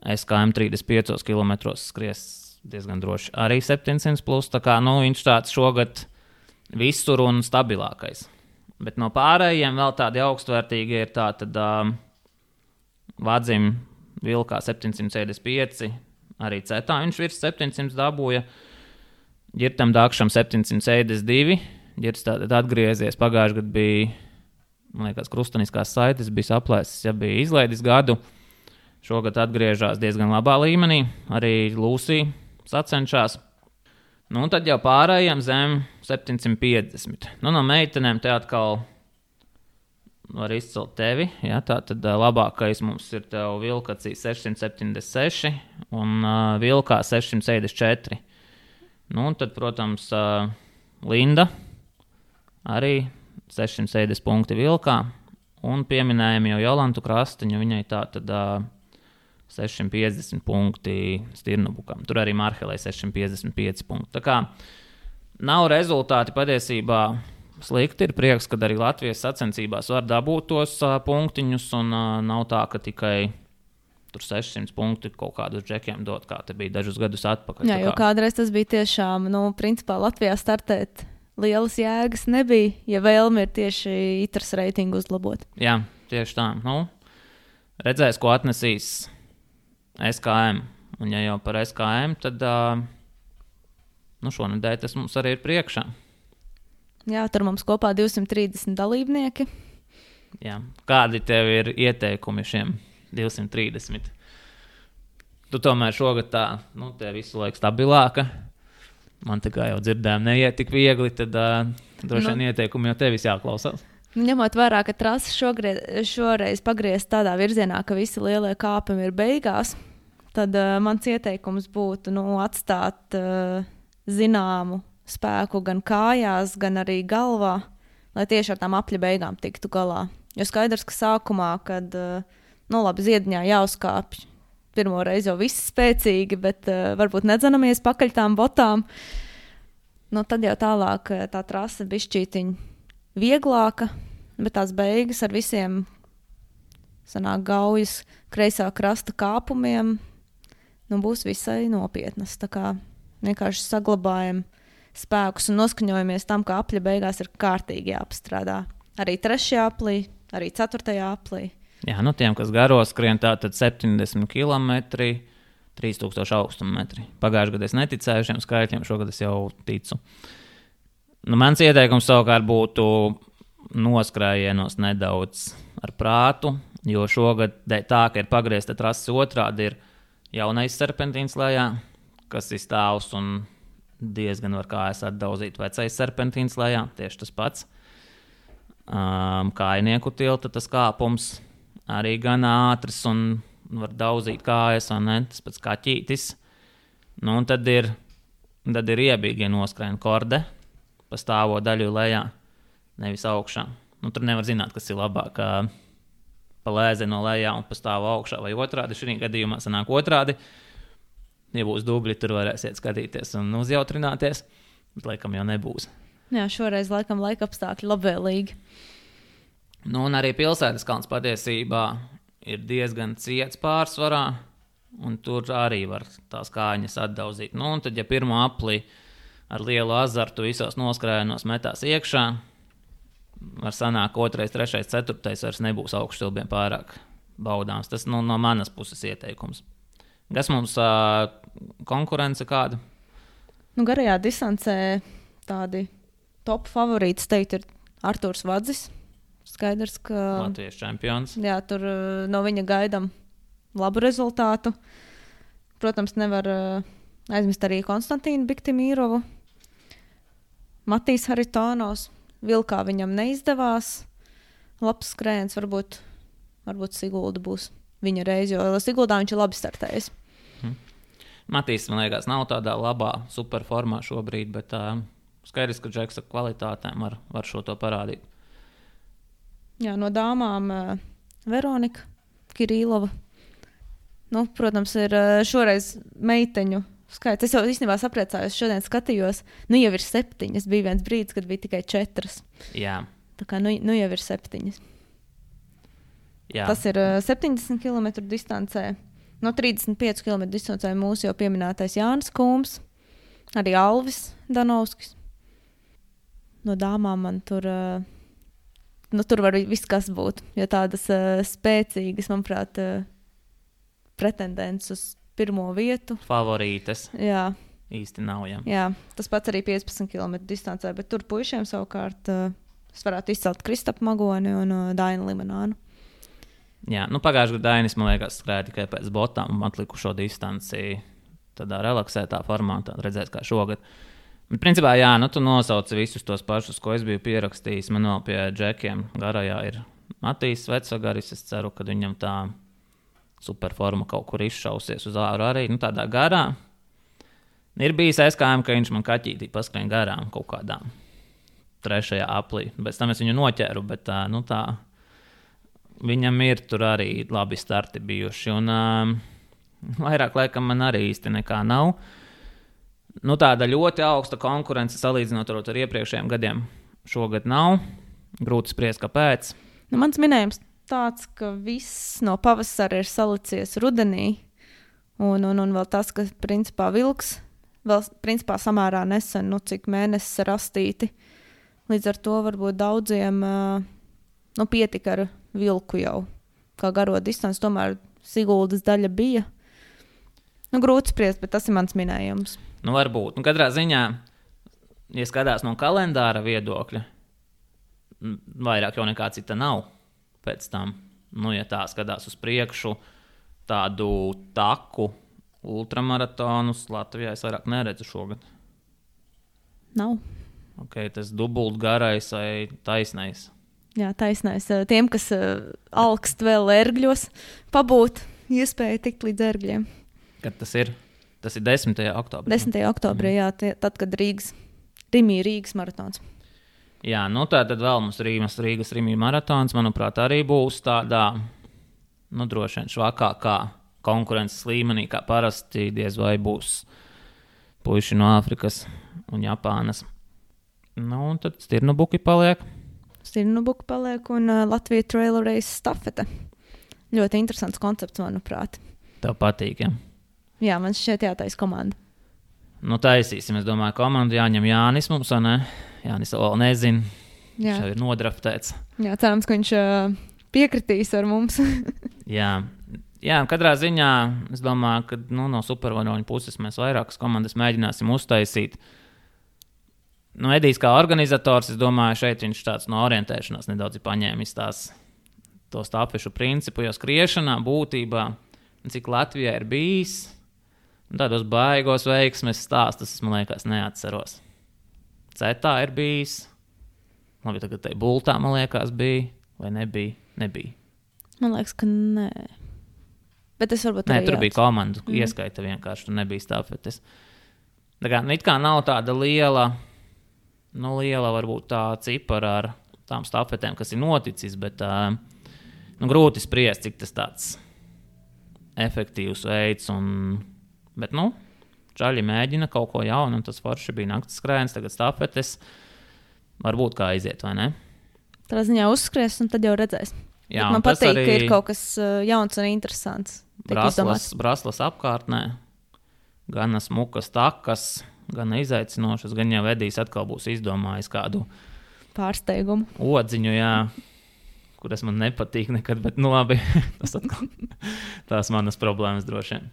S K M trīsdesmit piecos kilometros skries diezgan droši. Arī septiņsimt plus, tā kā, nu, viņš tāds šogad visur un stabilākais. Bet no pārējiem vēl tādi augstvērtīgi ir tā, tad uh, Vadzim Vilkā septiņsimt sešdesmit pieci, arī Cetā viņš virs septiņsimt dabūja, Ģirtam Dakšam septiņsimt sešdesmit divi, Ģirts tātad atgriezies, pagājuši gadu bija, man liekas, krustaniskās saites bija saplēsis, ja bija izlaidis gadu, šogad atgriežās diezgan labā līmenī, arī Lūsija sacenšās. Nu, un tad jau pārējiem zem septiņsimt piecdesmit. Nu, no meitenēm te atkal var izcelt tevi. Ja, tā tad uh, labākais mums ir tev Vilkacī sešsimt septiņdesmit seši un uh, Vilkā sešsimt sešdesmit četri. Nu, un tad, protams, uh, Linda arī sešsimt sešdesmit punkti Vilkā. Un pieminējam jau Jolantu Krastiņu, viņai tā tad... Uh, sešsimt piecdesmit punkti Stirnubukam. Tur arī Marhelē sešsimt piecdesmit pieci punkti. Tā kā nav rezultāti patiesībā slikti. Ir prieks, kad arī Latvijas sacensībās var dabūt tos uh, punktiņus un uh, nav tā, ka tikai tur sešsimt punkti kaut kādus džekiem dot, kā te bija dažus gadus atpakaļ. Jā, jo kādreiz tas bija tiešām, nu, principā Latvijā startēt lielas jēgas nebija, ja vēlme ir tieši Itras reitingu uzlabot. Jā, tieši tā. Nu, redzēs, ko atnesīs S K M. Un ja jau par S K M, tad uh, nu šonedēļ tas mums arī ir priekšā. Jā, tur mums kopā divsimt trīsdesmit dalībnieki. Jā. Kādi tev ir ieteikumi šiem divsimt trīsdesmit? Tu tomēr šogad tā, nu, te visu laiku stabilāka. Man tā kā jau dzirdējām neiet tik viegli, tad uh, droši vien nu, ieteikumi jau tevis jāklausās. Ņemot vērā, ka trasa šogreiz, šoreiz pagriezt tādā virzienā, ka visi lielie kāpumi ir beigās, tad uh, mans ieteikums būtu nu, atstāt uh, zināmu spēku gan kājās, gan arī galvā, lai tieši ar tām apļa beigām tiktu galā. Jo skaidrs, ka sākumā, kad uh, nu, labi, ziediņā jāuzkāpj, pirmo reizi jau visi spēcīgi, bet uh, varbūt nedzanamies pakaļ tām botām, nu, tad jau tālāk uh, tā trasa bišķītiņ vieglāka, bet tās beigas ar visiem sanāk gaujas kreisā krasta kāpumiem, nu, būs visai nopietnas. Tā kā vienkārši saglabājam spēkus un noskaņojamies tam, ka apļa beigās ir kārtīgi jāpastrādā. Arī trešajā aplī, arī ceturtajā aplī. Jā, nu tiem, kas garo skrien, tā tad septiņdesmit kilometri, trīs tūkstoši augstuma metri. Pagājušajā gadā es neticēju šiem skaitļiem, šogad es jau ticu. Nu, mans ieteikums savukārt būtu noskrājienos nedaudz ar prātu, jo šogad tā, ka ir pagriezta trases otrādi, ir jaunais serpentīns lejā, kas ir stāvs un diezgan var kājas atdauzīt vecais serpentīns lejā, tieši tas pats. Um, kājnieku tilta tas kāpums arī gan ātrs un var dauzīt kājas, un ne, tas pats kaķītis. Nu, un tad ir, tad ir iebīgi noskrēna korde pa stāvo daļu lejā, nevis augšā. Nu, tur nevar zināt, kas ir labāk, pa lēzi no lejā un pa stāvo augšā vai otrādi. Šī gadījumā sanāk otrādi. Ja būs dubļi, tur varēsiet skatīties un uzjautrināties, bet laikam jau nebūs. Jā, šoreiz laikam laika apstākļi labvēlīgi. Nu, un arī pilsētas kalns patiesībā ir diezgan ciets pārsvarā, un tur arī var tās kājiņas atdauzīt. Nu, un tad, ja pirmo aplī ar lielu azartu visos noskrājienos metās iekšā, var sanāk otrais, trešais, ceturtais vairs nebūs augšsilbiem pārāk baudāms. Tas nu, no manas puses ieteikums. Kas mums uh, konkurence kāda? Nu, garajā distancē tādi top favorītis teikt ir Artūrs Vadzis. Skaidrs, ka Latvijas čempions. Jā, tur uh, no viņa gaidām labu rezultātu. Protams, nevar uh, aizmest arī Konstantīnu Biktimīrovu. Matīs Haritonovs. Vilkā viņam neizdevās. Labs skrējiens, varbūt, varbūt Sigulda būs viņa reize, jo Siguldā viņš ir labi startējis. Hmm. Matīs, man liekas, nav tādā labā superformā šobrīd, bet uh, skaidrs, ka Džeksa kvalitātēm var, var šo to parādīt. Jā, no dāmām uh, Veronika Kirīlova. Nu, protams, ir uh, šoreiz meiteņu skaits. Es jau īstenībā sapriecājos, šodien skatījos. Nu, jau ir septiņas. Bija viens brīdis, kad bija tikai četras. Jā. Tā kā nu, nu jau ir septiņas. Jā. Tas ir uh, septiņdesmit kilometru distancē. No trīsdesmit pieci kilometru distancē mūsu jau pieminētais Jānis Kūms. Arī Alvis Danovskis. No dāmām man tur... Uh, Nu, tur var viss kas būt, jo tādas uh, spēcīgas, manuprāt, uh, pretendents uz pirmo vietu. Favorītes. Jā. Īsti nav, jā. Jā, tas pats arī piecpadsmit kilometru distancē, bet tur puišiem savukārt uh, es varētu izcelt Kristapu Magoni un uh, Dainu Limanānu. Jā, nu pagājušajā gadā Dainis, man liekas, skrēja tikai pēc botām un atlikušo distanci tādā relaksētā formātā, redzēs kā šogad. Bet, principā, jā, nu, tu nosauci visus tos pašus, ko es biju pierakstījis. Man vēl pie džekiem garajā ir Matīs Vecagaris. Es ceru, ka viņam tā superforma kaut kur izšausies uz āru arī. Nu, tādā garā. Ir bijis aizkājumi, ka viņš man kaķītī paskrien garām kaut kādām trešajā aplī. Pēc tam es viņu noķēru, bet tā, nu, tā, viņam ir tur arī labi starti bijuši. Un um, vairāk laikam man arī īsti nekā nav. Nu, tāda ļoti augsta konkurence salīdzinot ar, ar iepriekšējiem gadiem šogad nav. Grūti spriest, kāpēc. Nu, mans minējums tāds, ka viss no pavasara ir salicies rudenī. Un, un, un vēl tas, ka principā vilks vēl principā samērā nesen, nu, cik mēnesis rastīti. Līdz ar to varbūt daudziem nu, pietika ar vilku jau kā garo distanci. Tomēr Siguldas daļa bija. Nu, grūti spriest, bet tas ir mans minējums. Nu, varbūt. Nu, katrā ziņā, ja skatās no kalendāra viedokļa, vairāk jau nekā cita nav pēc tam. Nu, ja tā skatās uz priekšu, tādu taku ultramaratonus Latvijā es vairāk neredzu šogad. Nav. Okay, tas dubult garais vai taisnais? Jā, taisnais. Tiem, kas uh, alkst vēl ērgļos, pabūt iespēju tikt līdz ērgļiem. Kad tas ir? Tas ir desmitajā oktobrī. desmitajā oktobrī, jā, tie, tad, kad Rīgas, Rimī Rīgas maratons. Jā, nu tā tad vēl mums Rīgas, Rīgas Rimī maratons, manuprāt, arī būs tādā, nu droši vien švakākā konkurences līmenī, kā parasti diez vai būs puiši no Āfrikas un Japānas. Nu, un tad Stirnubuki paliek. Stirnubuki paliek un uh, Latvija Trail Race stafete. Ļoti interesants koncepts, manuprāt. Tev patīk, ja? Jā, man šķiet jātais komanda. Nu, taisīsim, es domāju, komandu jāņem Jānis mums, vai ne? Jānis vēl nezin. Jā. Viņš jau ir nodraftēts. Jā, cerams, ka viņš uh, piekritīs ar mums. Jā. Jā, katrā ziņā es domāju, ka nu, no supervaroņu puses mēs vairākas komandas mēģināsim uztaisīt. Nu, Edijs kā organizators, es domāju, šeit viņš tāds no orientēšanās nedaudz ir paņēmis tās, to stafešu principu, jo skriešanā būtībā, cik Latvijā ir bijis, tādos baigos veiksmes stāstus, es man liekas neatceros. Cetā ir bijis, labi, tagad tai bultā, man liekas, bija, vai nebija? Nebija. Man liekas, ka nē. Bet es varbūt nē, arī tur jāc. bija komandu, mm. ieskaita vienkārši, tur nebija stafetes. Tā kā, nu, it kā nav tāda liela, nu, liela varbūt tā cipara ar tām stafetēm, kas ir noticis, bet uh, nu, grūti spriest, cik tas tāds efektīvs veids. Un, bet, nu, čaļi mēģina kaut ko jaunu, un tas forši bija naktas skrējiens, tagad stafetes. Varbūt kā aiziet, vai ne? Tā ziņā uzskries, un tad jau redzēs. Jā, man patīk, ka ir kaut kas uh, jauns un interesants. Braslas, braslas apkārtnē, gan smukas takas, gan izaicinošas, gan jau Edijs atkal būs izdomājis kādu pārsteigumu. Odziņu, jā, kuras man nepatīk nekad, bet nu labi, tas atkal tās manas problēmas droši vien.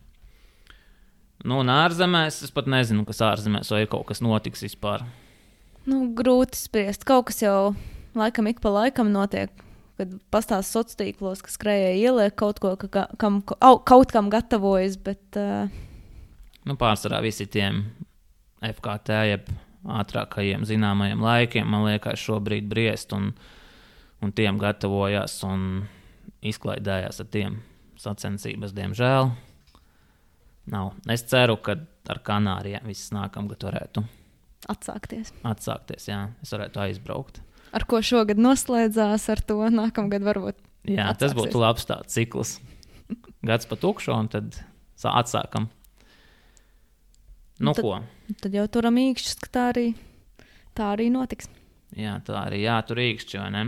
Nu, un ārzemēs, es pat nezinu, kas ārzemēs, vai ir kaut kas notiks vispār. Nu, grūti spriest. Kaut kas jau laikam ik pa laikam notiek, kad pastāsta sociālos tīklos, ka skrējēji ieliek kaut ko, ka, kam, kaut kam gatavojas, bet... Uh... Nu, pārsvarā visi tiem F K T, jeb ātrākajiem zināmajiem laikiem, man liekas, šobrīd briest un, un tiem gatavojās un izklaidējās ar tiem sacensības, diemžēl. Nav. Es ceru, ka ar Kanārijām viss nākamgad varētu atsākties. Atsākties, jā. Es varētu aizbraukt. Ar ko šogad noslēdzās, ar to nākamgad varbūt jā, atsāksies. Tas būtu labs tāds cikls. Gads pa tukšo un tad atsākam. Nu, tad, ko? Tad jau turam īkšķus, ka tā arī, tā arī notiks. Jā, tā arī jātur īkšķi, vai ne?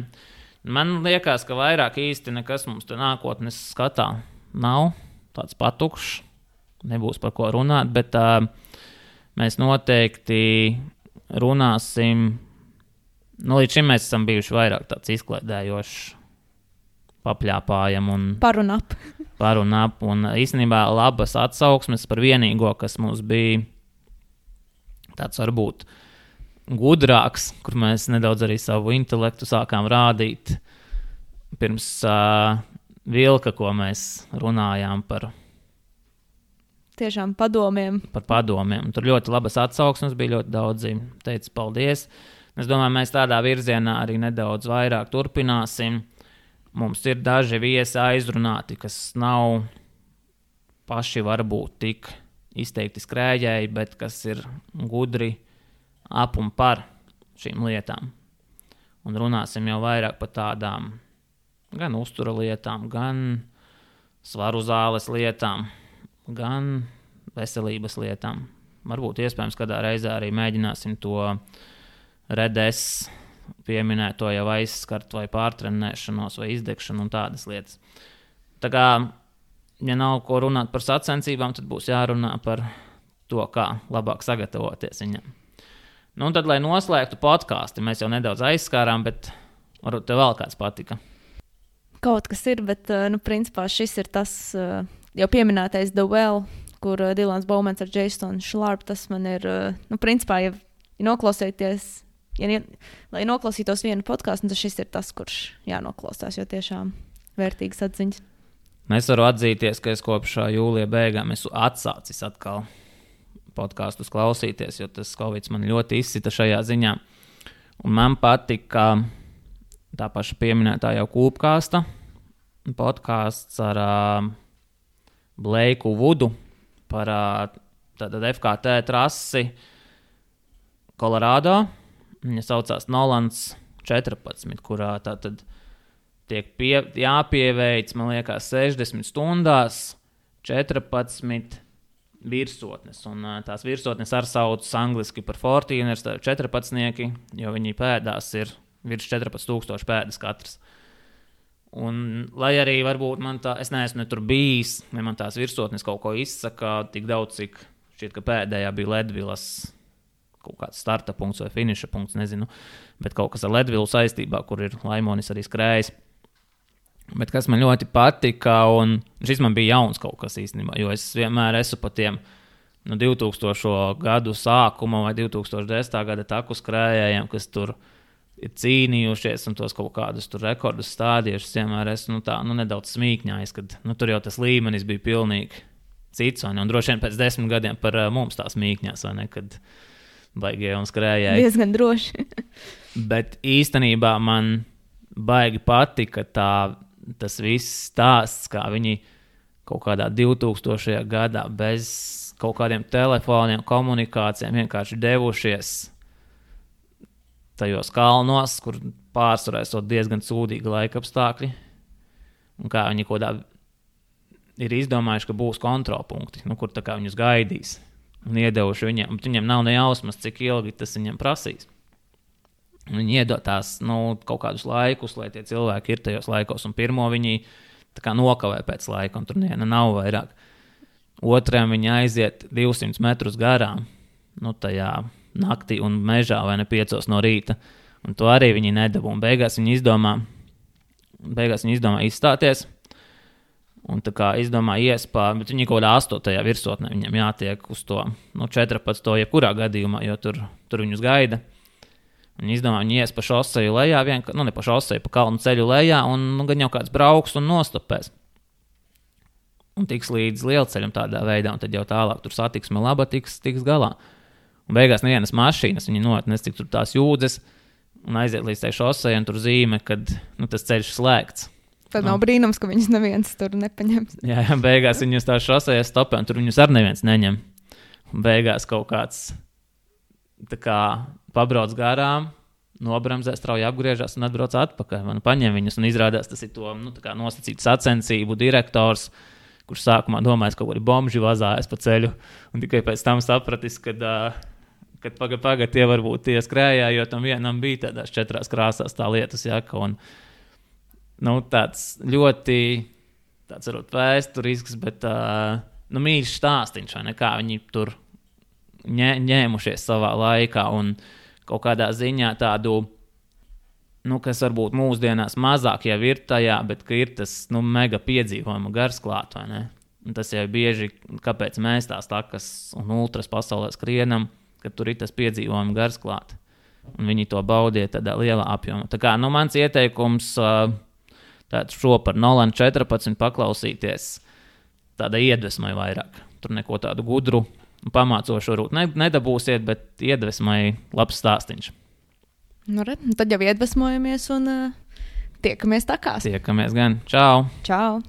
Man liekas, ka vairāk īsti nekas mums te nākotnes skatā nav. Tāds patukšs. Nebūs par ko runāt, bet uh, mēs noteikti runāsim. Nu, līdz šim mēs esam bijuši vairāk tāds izklaidējošs, papļāpājam un par un ap. par un ap. Un īstenībā labas atsauksmes par vienīgo, kas mums bija tāds varbūt gudrāks, kur mēs nedaudz arī savu intelektu sākām rādīt pirms uh, vilka, ko mēs runājām par tiešām padomiem. Par padomiem. Tur ļoti labas atsauksmes bija, ļoti daudzi teica paldies. Es domāju, mēs tādā virzienā arī nedaudz vairāk turpināsim. Mums ir daži viesi aizrunāti, kas nav paši varbūt tik izteikti skrējēji, bet kas ir gudri ap un par šīm lietām. Un runāsim jau vairāk par tādām gan uztura lietām, gan svaru zāles lietām, gan veselības lietām. Varbūt iespējams kādā reizē arī mēģināsim to redes pieminēto jau aizskart vai pārtrenēšanos vai izdegšanu un tādas lietas. Tā kā, ja nav ko runāt par sacensībām, tad būs jārunā par to, kā labāk sagatavoties viņam. Nu, un tad, lai noslēgtu podkāstu, mēs jau nedaudz aizskārām, bet varbūt tev vēl kāds patika. Kaut kas ir, bet, nu, principā šis ir tas jau pieminētais The Well, kur Dilans Baumans ar Jasonu Šlārpu, tas man ir, nu, principā, ja, ja noklausieties, ja, lai noklausītos vienu podkāstu, tad šis ir tas, kurš jānoklausās, jo tiešām vērtīgas atziņas. Es varu atzīties, ka es kopš jūlija beigām esmu atsācis atkal podkāstus klausīties, jo tas Covid man ļoti izsita šajā ziņā. Un man patika tā paša pieminētā jau Kūpkāsta podkāsts ar uh, Bleiku Vudu par uh, tātad F K T trasi Kolorādo. Viņa saucās Nolans četrpadsmit, kurā tātad tiek pie, jāpieveic, man liekas, sešdesmit stundās četrpadsmit virsotnes. Un uh, tās virsotnes ar sauc angliski par fortīners, tā ir četrpadsnieki, jo viņi pēdās ir virs četrpadsmit tūkstoši pēdas katrs. Un, lai arī varbūt man tā, es neesmu ne tur bijis, ja man tās virsotnes kaut ko izsaka, tik daudz, cik šķiet, ka pēdējā bija Ledvilas kaut kāds starta punkts vai finiša punkts, nezinu, bet kaut kas ar Ledvilu saistībā, kur ir Laimonis arī skrējis. Bet kas man ļoti patika, un šis man bija jauns kaut kas īstenībā, jo es vienmēr esmu pa tiem no divtūkstošo gadu sākuma vai divtūkstošdesmitā gada taku skrējējiem, kas tur ir cīnījušies un tos kaut kādus tur rekordus stādījušas, vienmēr esmu nu, tā, nu, nedaudz smīkņājis, kad nu, tur jau tas līmenis bija pilnīgi cits, un, un droši vien pēc desmit gadiem par uh, mums tās mīkņās, vai ne, kad baigie un skrējēji. Diezgan droši. Bet īstenībā man baigi patika tā, tas viss stāsts, kā viņi kaut kādā divtūkstošajā gadā bez kaut kādiem telefoniem, komunikācijām vienkārši devušies tajos kalnos, kur pārsvarā esot diezgan sūdīgi laika apstākļi, un kā viņi kodā ir izdomājuši, ka būs kontrolpunkti, nu, kur tā kā viņus gaidīs, un iedevuši viņiem, un viņiem nav ne jausmas, cik ilgi tas viņiem prasīs. Viņi iedod tās, nu, kaut kādus laikus, lai tie cilvēki ir tajos laikos, un pirmo viņi tā kā nokavē pēc laika, un tur neviena nav vairāk. Otrajam viņi aiziet divsimt metrus garām, nu, tajā naktī un mežā vai ne piecos no rīta, un to arī viņi nedabū, un beigās viņi izdomā, beigās viņi izdomā izstāties, un tā kā izdomā iespā, bet viņi kaut kādā astotajā virsotnē viņam jātiek uz to, nu, četrpadsmito jebkurā gadījumā, jo tur, tur viņus gaida. Viņi izdomā, viņi ies pa šoseju lejā, vien, nu, ne pa šoseju, pa kalnu ceļu lejā, un nu, gan jau kāds brauks un nostopēs. Un tiks līdz lielceļam tādā veidā, un tad jau tālāk tur satiksme laba tiks, tiks galā. Un beigās nevienas mašīnas, viņi noetnes, cik tur tās jūdzes, un aiziet līdz tai šosei, un tur zīme, kad nu, tas ceļš slēgts. Tad nav brīnums, ka viņus neviens tur nepaņems. Jā, jā, beigās viņus tā šosei stopē, un tur viņus ar neviens neņem. Un beigās kaut kāds tā kā pabrauc garām, nobramzē, strauji apgriežās un atbrauc atpakaļ. Man paņem viņus un izrādās, tas ir to nu, tā kā nosacīt sacensību direktors, kurš sākumā domājis, ka kaut kādi bomži vazājas pa ceļu, un tikai pēc tam sapratis, kad, kad pagad, pagad tie varbūt tie skrējā, jo tam vienam bija tādās četrās krāsās tā lietas jaka, un nu, tāds ļoti, tāds varbūt vēsturisks, bet nu, mīļš stāstiņš, vai ne, kā viņi tur ņē, ņēmušies savā laikā, un kaut kādā ziņā tādu, nu, kas varbūt mūsdienās mazāk jau ir tajā, bet ka ir tas, nu, mega piedzīvojuma gars klāt, vai ne? Un tas jau bieži, kāpēc mēs tās takas un ultras pasaulē skrienam, ka tur ir tas piedzīvojuma gars klāt. Un viņi to baudīja tādā lielā apjomā. Tā kā, nu, mans ieteikums tāds šo par Nolan četrpadsmit paklausīties tāda iedvesmai vairāk. Tur neko tādu gudru un pamācošu varbūt ne, nedabūsiet, bet iedvesmai labs stāstiņš. Nu, re, tad jau iedvesmojamies un uh, tiekamies takās. Tiekamies gan. Čau! Čau!